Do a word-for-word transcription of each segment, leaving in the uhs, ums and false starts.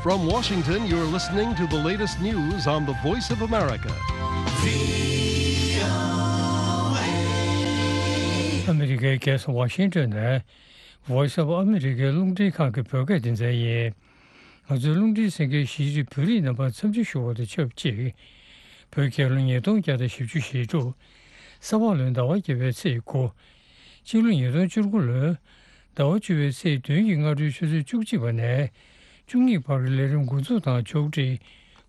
From Washington, you're listening to the latest news on the Voice of America. ཨ་མི་རི་ཀའི་རྒྱལ་ས་ཝ་ཤིང་ཏོན་ནས་Voice of America རླུང་འཕྲིན་ཁང་གི་བོད་སྐད་སྡེ་ཚན་ཡིན། ང་ཚོའི་རླུང་འཕྲིན་གསན་མཁན་གཞིས་བྱེས་བོད་རིགས་རྣམ་པར་འཚམས་འདྲི་ཞུ་བ་དང་ཆབས་ཅིག་བོད་རྒྱལ་ལོ་ཉིས་སྟོང་བརྒྱ་དང་བཞི་བཅུ་ཞེ་དྲུག་ས་ཕག་ལོའི་ཟླ་བ་བརྒྱད་པའི་ཚེས་དགུ། སྤྱི་ལོ་ཉིས་སྟོང་བཅུ་དགུ་ལོའི་ཟླ་བ་བཅུ་པའི་ཚེས་བདུན་གྱི་སྔ་དྲོའི་ཆུ་ཚོད་བཅུ་གཅིག་པ་ནས་བཅུ་གཉིས་བར་གྱི་ལས་རིམ་འགོ་འཛུགས་དང་ཕྱོགས་སྒྲིག་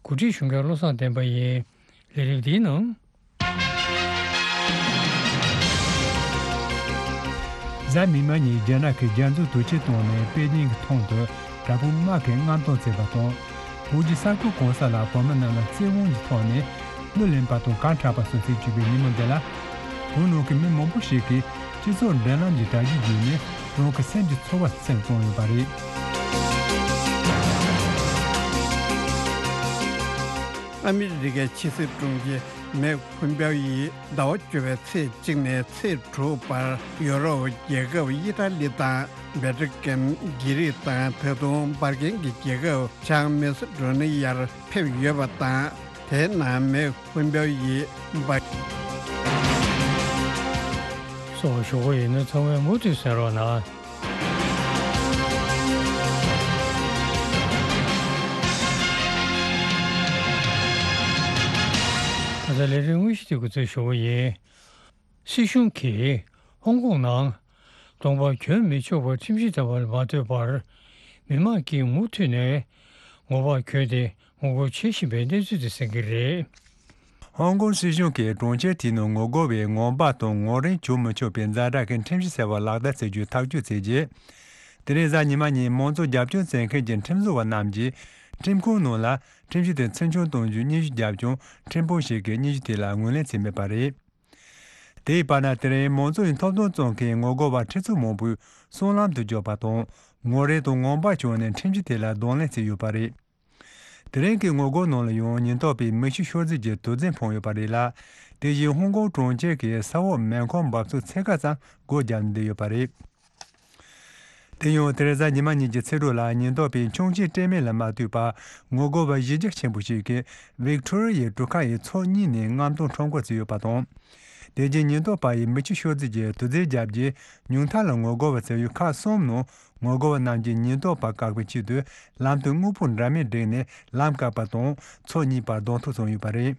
གོ་སྒྲིག་ཞུ་མཁན་བློ་བཟང་བསྟན་པ་ཡིན། ལས་རིམ་འདིའི་ནང་། གཟའ་མིག་དམར་ཉིན་རྒྱ་ནག་གིས་རྒྱ་མཚོ་དུས་ཆེན་སྟོན་ནས་པེ་ཅིང་གི་ཐང་དུ་དྲག་པོའི་དམག་གིས་མངགས་གཏོང་བྱས་པ་དང་། བོད་ཀྱི་ས་ཁུལ་གང་ས་ལ་བོད་མི་རྣམས་ལ་བཙན་དབང་གི་ཐོག་ནས་གླུ་ལེན་པ་དང་གར་འཁྲབ་པ་སོགས་བྱེད་བཅུག་པའི་ཉིན་མོ་འདི་ལ། བོད་ནང་གི་མི་མང་པོ་ཞིག་གིས་སྤྱི་ཚོགས་འབྲེལ་ལམ་གྱི་དྲ་རྒྱའི་བརྒྱུད་ནས་རང་གི་སེམས་ཀྱི་ཚོར་བ་སེམས་གཏོང་ཡོད་པ་རེད། ཨ་མི་རི་ཀའི་ཕྱི་སྲིད་དྲུང་ཆེ་མེག་ཕོམ་པེའོ་ཡིས་ཟླ་བ་བཅུ་པའི་ཚེས་གཅིག་ནས་ཚེས་དྲུག་བར་ཡོ་རོབ་རྒྱལ་ཁབ་ཨི་ཏྲ་ལི་དང་བེ་ཏྲི་ཀན། གྷི་རིག་དང་ད་དུང་འབར་གན་གྱི་རྒྱལ་ཁབ་བྱང་མེ་སི་ཏྲོ་ནི་ཡར་ཕེབས་ཡོད་པ་དང་། དེའི་ནང་མེག་ཕོམ་པེའོ་ཡིས་འབར། སོགས་ཞུ་གི་ཡིན་ན་ཚང་མས་མུ་མཐུད་གསན་རོགས་གནང་། ད་ལྟ་ལས་རིམ་དངོས་གཞི་དེ་འགོ་འཛུགས་ཞུ་གི་ཡིན། སྲིད་གཞུང་གིས་ཧོང་ཀོང་ནང་གདོང་པ་གྱོན་མི་ཆོག་པར་ཁྲིམས་གཞི་ལྟ་བུ་མ་ཐོན་པར། མི་མང་གིས་མུ་མཐུད་ནས་ངོ་པ་གྱོན་ཏེ་ངོ་རྒོལ་བྱེད་བཞིན་པའི་གནས་ཚུལ་དེ་གསན་གྱི་རེད། ཧོང་ཀོང་སྲིད་གཞུང་གིས་གྲོང་ཁྱེར་དེའི་ནང་ངོ་རྒོལ་བའི་ངང་པ་དང་ངོ་རེངས་བྱུང་མི་ཆོག་པའི་ཛ་དྲག་གི་ཁྲིམས་གཞི་ཟེར་བ་ལག་བསྟར་བྱེད་རྒྱུ་ཐག་གཅོད་བྱས་རྗེས། དེ་རིང་གཟའ་ཉི་མ་ཉིན་མང་གཙོ་རྒྱབ་སྐྱོར་བྱེད་མཁན་གྱི་ཁྲིམས་བཟོ་བ་རྣམས་ཀྱིས་ཁྲིམས་ཁང་ནང་ལ་ཁྲིམས་གཞི་དེ་ཚུལ་འཆོས་གཏོང་རྒྱུའི་སྙན་ཞུ་བརྒྱབ་ཀྱང་། ཁྲིམས་དཔོན་ཞིག་གིས་སྙན་ཞུ་དེ་ལ་ངོས་ལེན་བྱས་མེད་པ་རེད། དེའི་བར་ན། དེ་རིང་མང་གཙོ་ཡི་ཐོབ་ཐང་བཙོང་མཁན་ངོ་རྒོལ་བ་ཁྲི་ཚོ་མང་པོས་སྲང་ལམ་དུ་འབྱོར་པ་དང་། ངོ་རེངས་དང་ངང་པ་བྱུང་ནས་ཁྲིམས་གཞི་དེ་ལ་གདོང་ལེན་བྱས་ཡོད་པ་རེད། དེ་རིང་གི་ངོ་རྒོལ་ནང་ལ་ཡང་ཉེན་རྟོག་པས་མི་ཤི་ཤོར་རྫས་ཀྱི་དུག་རྫས་འཕངས་ཡོད་པ་རེད་ལ། དེ་བཞིན་ཧོང་ཀོང་གྲོང་ཁྱེར་གྱི་ས་འོག་མེ་འཁོར་འབབ་ཚུགས་ཚད་བརྒལ་ཙམ་སྒོ་བརྒྱབ་ནས་བསྡད་ཡོད་པ་རེད། དེ་ཡང་དེ་རིང་གཟའ་ཉི་མ་ཉིན་གྱི་ཚེས་དྲུག་ལ་ཉེན་རྟོག་པས་འཕྱོངས་རྒྱས་སྤྲད་མེད་ལ་མ་ལྟོས་པར། ངོ་རྒོལ་བ་གཞི་རྒྱ་ཆེན་པོ་ཞིག་གིས་ཝིག་ཐོ་རི་ཡའི་གྲུ་ཁ་ཡི་ཕྱོགས་གཉིས་ནས་མངགས་གཏོང་ཁྲོམ་སྐོར་བྱས་ཡོད་པ་དང་། དེ་རྗེས་ཉེན་རྟོག་པ་ཡིས་མི་ཤི་ཤོར་རྫས་ཀྱི་དུག་རྫས་བརྒྱབ་རྗེས། ཉུང་མཐའ་ལ་ངོ་རྒོལ་བ་བྱ་ཡུལ་ཁག་གསུམ་ནང་ངོ་རྒོལ་བ་རྣམས་ཀྱིས་ཉེན་རྟོག་པ་བཀག་པའི་ཆེད་དུ། ལམ་དུ་དངོས་པོ་འདྲ་མིན་བསྒྲིགས་ནས་ལམ་བཀག་པ་དང་། ཕྱོགས་གཉིས་བར་གདོང་ཐུག་བྱུང་ཡོད་པ་རེད།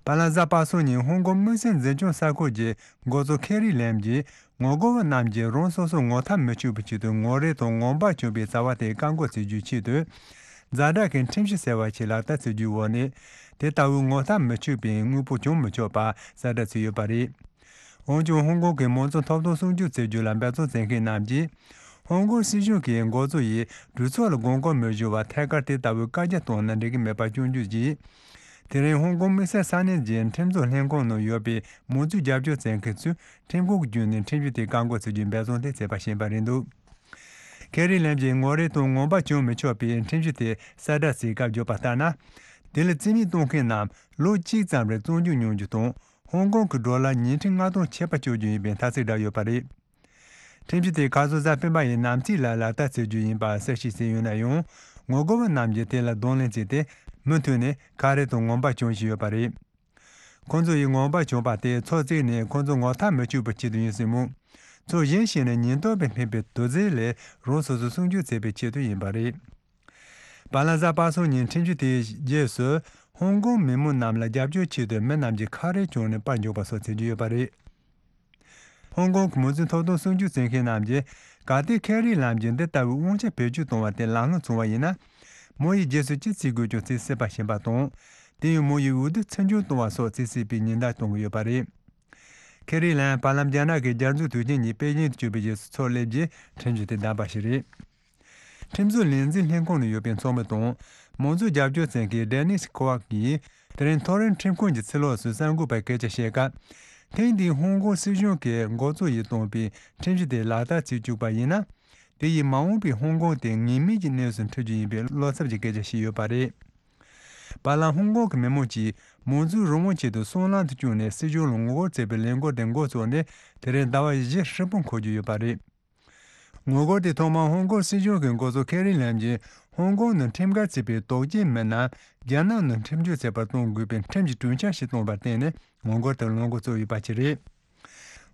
བར་ལ་གཟའ་པ་སངས་ཉིན་ཧོང་ཀོང་དམིགས་བསལ་འཛིན་སྐྱོང་ས་ཁུལ་གྱི་འགོ་གཙོ་ཁེ་རི་ལེམ་གྱིས། ངོ་རྒོལ་བ་རྣམས་ཀྱིས་རང་སོ་སོ་ངོ་ཐག་མི་ཆོད་པའི་ཆེད་དུ་ངོ་རེངས་དང་ངང་པ་བྱུང་བའི་བྱ་བ་དེ་བཀག་འགོག་བྱེད་རྒྱུའི་ཆེད་དུ། ཛ་དྲག་གི་ཁྲིམས་གཞི་ཟེར་བ་ཞིག་ལག་བསྟར་བྱེད་རྒྱུའི་འོག་ནས། དེ་ལྟ་བུའི་ངོ་ཐག་མི་ཆོད་པའི་དངོས་པོ་བྱུང་མི་ཆོག་པ་གསལ་བསྒྲགས་བྱས་ཡོད་པ་རེད། འོན་ཀྱང་ཧོང་ཀོང་གི་མང་གཙོ་ཐོབ་ཐང་སྲུང་སྐྱོབ་བྱེད་རྒྱུ་ལ་འབད་བརྩོན་བྱེད་མཁན་རྣམས་ཀྱིས། ཧོང་ཀོང་སྲིད་གཞུང་གི་འགོ་གཙོ་ཡིས་གྲོས་ཚོགས་ལ་དགོངས་སྐོར་མི་ཞུ་བར་ཐད་ཀར་དེ་ལྟ་བུའི་བཀའ་རྒྱ་བཏང་ན་འགྲིག་གི་མེད་པ་སྐྱོན་བརྗོད་ཀྱིས། དེ་རིང་ཧོང་ཀོང་དམིགས་བསལ་ས་གནས་ཀྱི་ཁྲིམས་བཟོ་ལྷན་ཁང་ནང་ཡོད་པའི་མང་གཙོའི་རྒྱབ་སྐྱོར་བྱེད་མཁན་ཚོས་ཁྲིམས་ཁང་གི་བརྒྱུད་ནས་ཁྲིམས་གཞི་དེ་བཀག་འགོག་བྱེད་རྒྱུའི་འབད་བརྩོན་དེ་བྱས་པ་ཤེས་པ་རེད་འདུག་ཁེ་རི་ལེམ་གྱིས་ངོ་རེངས་དང་ངང་པ་བྱུང་མི་ཆོག་པའི་ཁྲིམས་གཞི་དེ་གསལ་བསྒྲགས་བྱས་སྐབས་བརྗོད་པ་ལྟར་ན། དེ་ལ་རྩིས་མེད་གཏོང་མཁན་རྣམས་ལོ་གཅིག་ཙམ་རིང་བཙོན་འཇུག་མྱོང་རྒྱུ་དང་། ཧོང་ཀོང་གི་ཌོ་ལར་ཉིས་ཁྲི་ལྔ་སྟོང་ཆད་པ་གཅོད་རྒྱུ་ཡིན་པའི་མཐའ་ཚིག་བསྒྲགས་ཡོད་པ་རེད། ཁྲིམས་གཞི་དེ་ཁ་སང་གཟའ་སྤེན་པ་ཡི་ནམ་ཚིགས་ལ་ལག་བསྟར་བྱེད་རྒྱུ་ཡིན་པ་གསལ་བཤད་བྱས་ཡོད་ན་ཡང་། ངོ་རྒོལ་བ་རྣམས་ཀྱིས་དེ་ལ་གདོང་ལེན་བྱས་ཏེ། མུ་མཐུད་ནས་ཁ་རས་དང་ངང་པ་གྱོན་བཞིན་ཡོད་པ་རེད། ཁོང་ཚོ་ཡིས་ངང་པ་གྱོན་པ་དེ་ཕྱོགས་གཅིག་ནས་ཁོང་ཚོ་ངོ་ཐག་མི་ཆོད་པའི་ཆེད་དུ་ཡིན་སྲིད་མོད། ཕྱོགས་གཞན་ཞིག་ནས་ཉེན་རྟོག་པས་སྨིན་པའི་དུག་རྫས་ལས་རང་སོ་སོ་སྲུང་སྐྱོབ་བྱེད་པའི་ཆེད་དུ་ཡིན་པ་རེད། བར་ལ་གཟའ་པ་སངས་ཉིན་ཁྲིམས་གཞི་དེའི་རྗེས་སུ། ཧོང་ཀོང་མི་མང་རྣམས་ལ་རྒྱབ་སྐྱོར་ཆེད་དུ་མི་རྣམས་ཀྱིས་ཁ་རས་གྱོན་ནས་པར་འཇོག་པ་སོགས་བྱེད་ཀྱི་ཡོད་པ་རེད། ཧོང་ཀོང་གི་མང་གཙོའི་ཐོབ་ཐང་སྲུང་སྐྱོབ་བྱེད་མཁན་རྣམས་ཀྱིས། གལ་ཏེ་ཁེ་རི་ལེམ་གྱིས་འདི་ལྟ་བུའི་དབང་ཆ་བེད་སྤྱོད་གཏོང་བ་དེ་ལམ་ལྷོང་བྱུང་བ་ཡིན་ན། མོ་ཡི་རྗེས་སུ་ཅི་བྱེད་དགོས་ཀྱང་བྱེད་སྲིད་པ་ཞིག་ཡིན་པ་དང་། དེ་ཡང་མོ་ཡི་འོས་བསྡུ་ཚུར་མཇུག་གཏོང་བ་སོགས་བྱེད་སྲིད་པའི་ཉེན་བརྡ་གཏོང་གི་ཡོད་པ་རེད། ཁེ་རི་ལེམ་བར་ལམ་རྒྱ་ནག་གི་རྒྱ་མཚོའི་དུས་ཆེན་ཉིན་པེ་ཅིང་དུ་བསྐྱོད་པའི་རྗེས་སུ་ཚོགས་སླེབས་རྗེས་ཁྲིམས་གཞི་དེ་བདམས་པ་ཞིག་རེད། ཁྲིམས་བཟོ་ལས་འཛིན་ལྷན་ཁང་ནང་ཡོད་པའི་ཚོགས་མི་དང་། མང་གཙོའི་རྒྱབ་སྐྱོར་བྱེད་མཁན་ཌེ་ནིས་ཁོ་ཝག་གིས། དེ་རིང་ཐོ་རེངས་ཁྲིམས་ཁང་གི་ཕྱི་ལོགས་སུ་གསར་འགོད་པར་སྐད་ཆ་བཤད་སྐབས། ཐེངས་འདིའི་ཧོང་ཀོང་སྲིད་གཞུང་གིས་འགོ་གཙོ་ཡིས་བཏོན་པའི་ཁྲིམས་གཞི་དེ་ལག་བསྟར་བྱེད་བཅུག་པ་ཡིན་ན། དེ་ཡིས་མ་འོངས་པའི་ཧོང་ཀོང་དེ་ངེས་མེད་ཀྱི་གནས་སུ་འཁྲིད་རྒྱུ་ཡིན་པའི་བློ་འཚབ་ཀྱི་སྐད་ཆ་བཤད་ཡོད་པ་རེད། བར་ལམ་ཧོང་ཀོང་གི་མི་མང་གིས་མང་གཙོའི་རང་དབང་ཆེད་དུ་སྲང་ལམ་དུ་བཅུག་ནས་སྲིད་གཞུང་ལ་ངོ་རྒོལ་བྱེད་པའི་ལས་འགུལ་དེ་འགོ་བཙུགས་ནས་དེ་རིང་ཟླ་བ་བཞི་ཧྲིལ་པོ་འཁོར་རྒྱུ་ཡོད་པ་རེད། ངོ་རྒོལ་དེ་ཐོག་མར་ཧོང་ཀོང་སྲིད་གཞུང་གི་འགོ་གཙོ་ཁེ་རི་ལེམ་གྱིས་ ཧོང་ཀོང་ནང་ཁྲིམས་འགལ་བྱས་པའི་དོགས་ཅན་མི་སྣ་རྒྱ་ནག་ནང་ཁྲིམས་གཅོད་བྱེད་པར་གཏོང་དགོས་པའི་ཁྲིམས་ཀྱི་གྲོས་འཆར་ཞིག་བཏོན་པར་བརྟེན་ནས་ངོ་རྒོལ་དེ་ལངས་འགོ་བཙུགས་ཡོད་པ་ཞིག་རེད།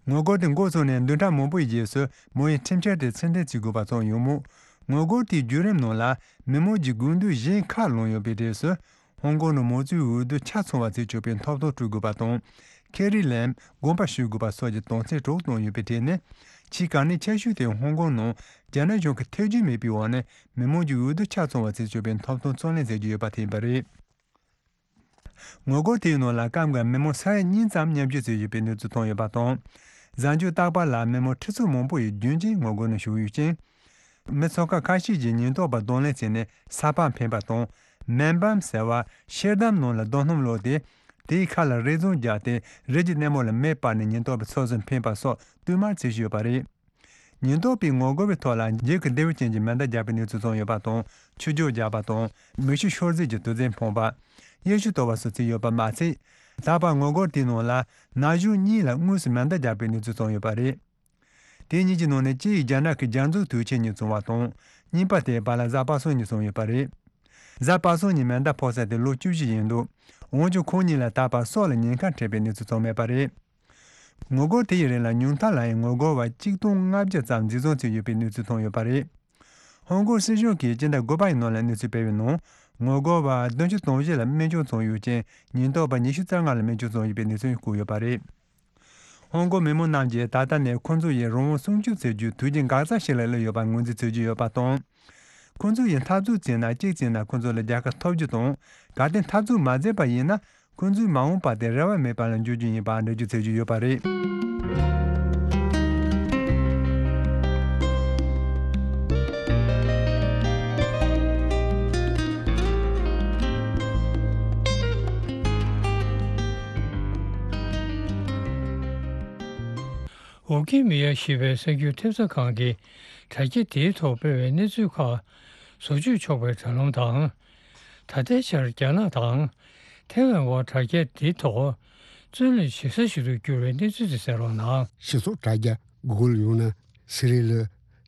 ངོ་རྒོལ་དེ་འགོ་བཙུགས་ནས་བདུན་ཕྲག་མང་པོའི་རྗེས་སུ་མོ་ཡིས་ཁྲིམས་འཆར་དེ་ཕྱིར་འཐེན་བྱེད་དགོས་པ་བྱུང་ཡོད་མོད། ངོ་རྒོལ་དེའི་བརྒྱུད་རིམ་ནང་ལ་མི་མང་གི་དགོས་འདུན་གཞན་ཁག་ལངས་ཡོད་པའི་གྲས་སུ། ཧོང་ཀོང་ནང་མང་གཙོའི་འོས་བསྡུ་ཆ་ཚང་བ་བྱེད་ཆོག་པའི་ཐོབ་ཐང་སྤྲོད་དགོས་པ་དང་། ཁེ་རི་ལེམ་དགོངས་པ་ཞུ་དགོས་པ་སོགས་ཀྱི་དོན་ཚན་དྲུག་བཏོན་ཡོད་པའི་གྲས་ནི། ཕྱིའི་བཀའ་ནན་ཆེ་ཤོས་དེ་ཧོང་ཀོང་ནང་རྒྱ་ནག་གཞུང་གི་ཐེ་ཇུས་མེད་པའི་འོག་ནས་མི་མང་གི་འོས་བསྡུ་ཆ་ཚང་བ་བྱེད་ཆོག་པའི་ཐོབ་ཐང་རྩོད་ལེན་མཛད་ཀྱི་ཡོད་པ་དེ་ཡིན་པ་རེད། ངོ་རྒོལ་དེའི་ནང་ལ་སྐབས་འགར་མི་མང་ས་ཡ་གཉིས་ཙམ་མཉམ་ཞུགས་བྱས་ཡོད་པའི་གནས་ཚུལ་ཐོན་ཡོད་པ་དང་། གཟའ་མཇུག་རྟག་པར་ལ་མི་མང་ཁྲི་ཚོ་མང་པོ་ཡིས་རྒྱུན་གཅིག་ངོ་རྒོལ་ནང་ཞུགས་ཡོད་ཅིང་། མི་ཚོགས་ཁག་ཁ་ཤས་ཀྱིས་ཉེན་རྟོག་པ་གདོང་ལེན་བྱས་ནས་ས་ཕག་འཕེན་པ་དང་། མེན་བམ་ཟེར་བ་ཤེལ་དམ་ནང་ལ་རྡོ་སྣུམ་བླུགས་ཏེ། དེའི་ཁ་ལ་རས་རྫོང་བརྒྱབ་སྟེ་རས་ཀྱི་སྣེ་མོ་ལ་མེ་སྤར་ནས་ཉེན་རྟོག་པའི་ཚོགས་སུ་འཕེན་པ་སོགས་བསྟུད་མར་བྱེད་བཞིན་ཡོད་པ་རེད། ཉེན་རྟོག་པས་ངོ་རྒོལ་བའི་ཐོག་ལ་འཇིགས་སྐུལ་བདེ་བོ་ཅན་གྱི་མེ་མདའ་རྒྱག་པའི་གནས་ཚུལ་བྱུང་ཡོད་པ་དང་། ཆུ་རྒྱུག་རྒྱག་པ་དང་། མེ་ཤུགས་ཤོར་རྫས་ཀྱི་དུག་རྫས་འཕངས་པ། གཡས་གཞུག་གཏོར་བ་སོགས་བྱས་ཡོད་པ་མ་ཚད། ད་བར་ངོ་རྒོལ་དེའི་ནང་ལ་ན་གཞོན་གཉིས་ལ་དངོས་སུ་མེ་མདའ་རྒྱག་པའི་གནས་ཚུལ་བྱུང་ཡོད་པ་རེད། དེ་གཉིས་ཀྱི་ནང་ནས་གཅིག་རྒྱ་ནག་གི་རྒྱ་མཚོའི་དུས་ཆེན་ཉིན་བྱུང་བ་དང་། གཉིས་པ་དེ་བར་ལ་གཟའ་པ་སངས་ཉིན་བྱུང་ཡོད་པ་རེད། གཟའ་པ་སངས་ཉིན་མེ་མདའ་ཕོག་ས་དེ་ལོ་བཅུ་བཞི་ཡིན་འདུག་འོན་ཀྱང་ཁོང་གཉིས་ལ་ད་བར་སྲོག་ལ་ཉེན་ཁ་འཕྲད་པའི་གནས་ཚུལ་བྱུང་མེད་པ་རེད། ངོ་རྒོལ་དེ་ཡི་རིང་ལ་ཉུང་མཐའ་ལ་ཡང་ངོ་རྒོལ་བ་གཅིག་སྟོང་ལྔ་བརྒྱ་ཙམ་འཛིན་བཟུང་བྱས་ཡོད་པའི་གནས་ཚུལ་ཐོན་ཡོད་པ་རེད། ཧོང་ཀོང་སྲིད་གཞུང་གིས་སྤྱི་ཟླ་དགུ་པ་ཡི་ནང་ལ་གནས་ཚུལ་སྤེལ་བའི་ནང་། ངོ་རྒོལ་བ་བདུན་ཅུ་དོན་བཞི་ལ་སྨན་བཅོས་བྱུང་ཡོད་ཅིང་། ཉེན་རྟོག་པ་ཉི་ཤུ་རྩ་ལྔ་ལ་སྨན་བཅོས་བྱུང་ཡོད་པའི་གནས་ཚུལ་བཀོད་ཡོད་པ་རེད། ཧོང་ཀོང་མི་མང་རྣམས་ཀྱིས་ད་ལྟ་ནས་ཁོ་ཚོ་ཡིས་རང་དབང་སྲུང་སྐྱོབ་བྱེད་རྒྱུའི་དུས་ཆེན་འགག་རྩ་ཞིག་ལ་སླེབས་ཡོད་པར་ངོས་འཛིན་བྱེད་ཀྱི་ཡོད་པ་དང་། ཁོ་ཚོ་ཡིས་འཐབ་རྩོད་བྱས་ན་གཅིག་བྱས་ན་ཁོ་ཚོ་ལ་རྒྱལ་ཁ་ཐོབ་རྒྱུ་དང་། གལ་ཏེ་འཐབ་རྩོད་མ་མཛད་པ་ཡིན་ན། ཁོ་ཚོའི་མ་འོངས་པ་དེ་རེ་བ་མེད་པ་ལ་འགྱུར་རྒྱུ་ཡིན་པ་འགྲེལ་བརྗོད་བྱེད་ཀྱི་ཡོད་པ་རེད། ཝི་ཀི་མི་ཡ་ཞེས་པའི་གསར་འགྱུར་ཐེབས་རྩ་ཁང་གིས་དྲ་རྒྱ་དེའི་ཐོག་སྤེལ་བའི་གནས་ཚུལ་ཁག་བཟོ་བཅོས་ཆོག་པའི་དྲ་ལམ་དང་། ད་ལྟའི་ཆར་རྒྱ་ནག་དང་། ཐའེ་ཝན་དབར་དྲ་རྒྱ་འདིའི་ཐོག་རྩོད་ལེན་བྱེད་ས་ཞིག་ཏུ་གྱུར་བའི་གནས་ཚུལ་དེ་གསན་རོགས་གནང་། སྤྱི་ཚོགས་དྲ་རྒྱ་གུ་གལ་ཡང་ན་སི་རི་ལ་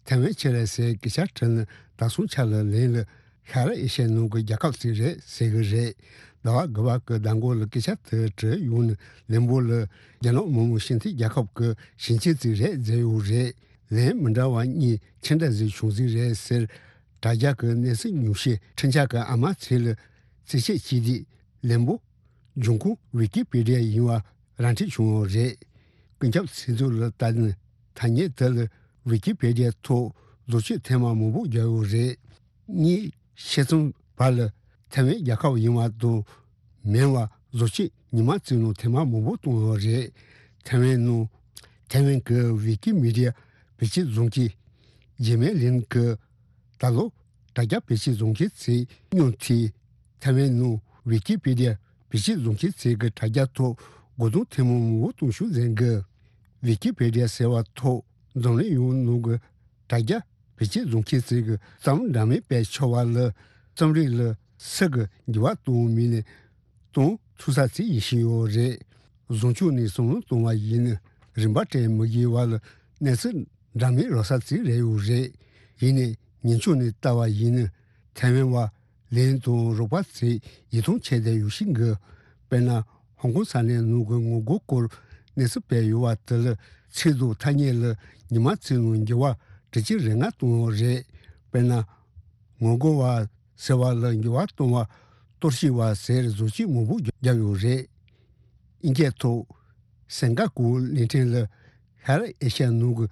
ཐའེ་ཝན་ཆེད་ལས་ཟེར་སྐད་ཆ་བྲིས་ནས་ད་སོང་ཆ་ལ་ལན་ལ་ཤར་ཨེ་ཤ་ཡའི་ནང་གི་རྒྱལ་ཁབ་ཅིག་རེད་ཟེར་གི་རེད། ཟླ་བ་དགུ་པ་གི་ཟླ་འགོ་ལ་སྐད་ཆ་དེ་དྲིས་ཡོང་ནས་ལན་པོ་ལ་རྒྱ་ནག་མི་དམངས་སྤྱི་མཐུན་རྒྱལ་ཁབ་ཀྱི་ཞིང་ཆེན་ཅིག་རེད་ཟེར་ཡོད་རེད། ལན་མི་འདྲ་བ་གཉིས་ཅི་འདྲ་ཟིག་བྱུང་ཟིག་རེད་ཟེར། དྲ་རྒྱ་གི་གནས་ཚུལ་ཉུང་ཤས་འཕྲིན་བཅར་གྱི་ཨ་མ་ཚེ་ལ་རྩིས་དཔྱད་བྱས་དུས་ལན་པོ་འབྱུང་ཁུངས་ཝི་ཀི་པི་ཌི་ཡ་ཡིན་པ་ར་འཕྲོད་བྱུང་ཡོད་རེད། ཀུན་ཁྱབ་ཚིག་མཛོད་ལ་ལྟ་ན་ཐ་སྙད་དེ་ལ་ཝི་ཀི་པི་ཌི་ཡ་ཐོག་བཟོ་བཅོས་ཐེངས་མ་མང་པོ་བརྒྱབ་ཡོད་རེད། གཉིས། ཕྱེད་ཙམ་བར་ལ་ཐའེ་ཝན་རྒྱལ་ཁབ་ཡིན་པ་དང་མིན་པ་བཟོ་བཅོས་ཉི་མ་གཅིག་ནང་ཐེངས་མ་མང་པོ་བཏང་ཡོད་རེད། ཐའེ་ཝན་ནང་ཐའེ་ཝན་གྱི་ཝི་ཀི་མི་ཌི་ཡ་བེད་སྤྱོད་བཟོ་མཁན་ཇེ་མེ་ལིན་གྱིས་ད་ལོ་དྲ་རྒྱ་བེད་སྤྱོད་བཟོ་མཁན་ཚོའི་སྙིང་ཐིག་ཐའེ་ཝན་ནང་ཝི་ཀི་པི་ཌི་ཡ་བེད་སྤྱོད་བཟོ་མཁན་ཚོས་ཀྱི་དྲ་རྒྱ་ཐོག་རྒོལ་རྡུང་ཐེངས་མ་མང་པོ་གཏོང་ཤུགས་འཛིན་གི། ཝི་ཀི་པི་ཌི་ཡ་ཟེར་བ་ཐོག་འཛམ་གླིང་ཡོངས་ནང་གི་དྲ་རྒྱ་བེད་སྤྱོད་བཟོ་མཁན་ཚོས་ཀྱི་རྩོམ་འདྲ་མིན་སྤེལ་ཆོག་པ་ལ་རྩོམ་རིག་ལ་སུ་གི་འགྱུར་བ་གཏོང་མིན་ནས་གཏོང་ཐུབ་ས་ཚིག་ཡིན་བཞིན་ཡོད་རེད། བཟང་ཕྱོགས་ནས་བསམ་བློ་གཏོང་བ་ཡིན་ན་རིན་པ་སྤྲད་མི་དགོས་པ་ལ་གནས་ཚུལ་འདྲ་མིན་རག་ས་ཚིག་རེད་ཡོད་རེད། ཡིན་ནའི་ངན་ཕྱོགས་ནས་ལྟ་བ་ཡིན་ན་ཐའེ་ཝན་བ་ལན་དང་རོགས་པ་ཚོས་ཡིད་ཐང་ཆད་བསྡད་ཡོད་ཤིང་གི། དཔེར་ན་ཧོང་ཀོང་ས་གནས་ནང་གི་ངོ་རྒོལ་སྐོར་གནས་ཚུལ་སྤེལ་ཡོད་པ་དེ་ལ་ཚིག་དང་ཐ་སྙད་ལ་ཉི་མ་གཅིག་ནང་འགྱུར་བ་དྲུག་ཅུ་རེ་ལྔ་བཏང་ཡོད་རེད། དཔེར་ན་ངོ་རྒོལ་བ་ཟེར་བ་ལ་འགྱུར་བ་གཏོང་བ་གཏོར་བཤིག་པ་ཟེར་བཟོ་བཅོས་མང་པོ་བརྒྱབ་ཡོད་རེད། དབྱིན་སྐད་ཐོག་སེང་ག་གུ་གླིང་ཕྲན་ལ་ཤར་ཨེ་ཤ་ཡ་ནང་གི་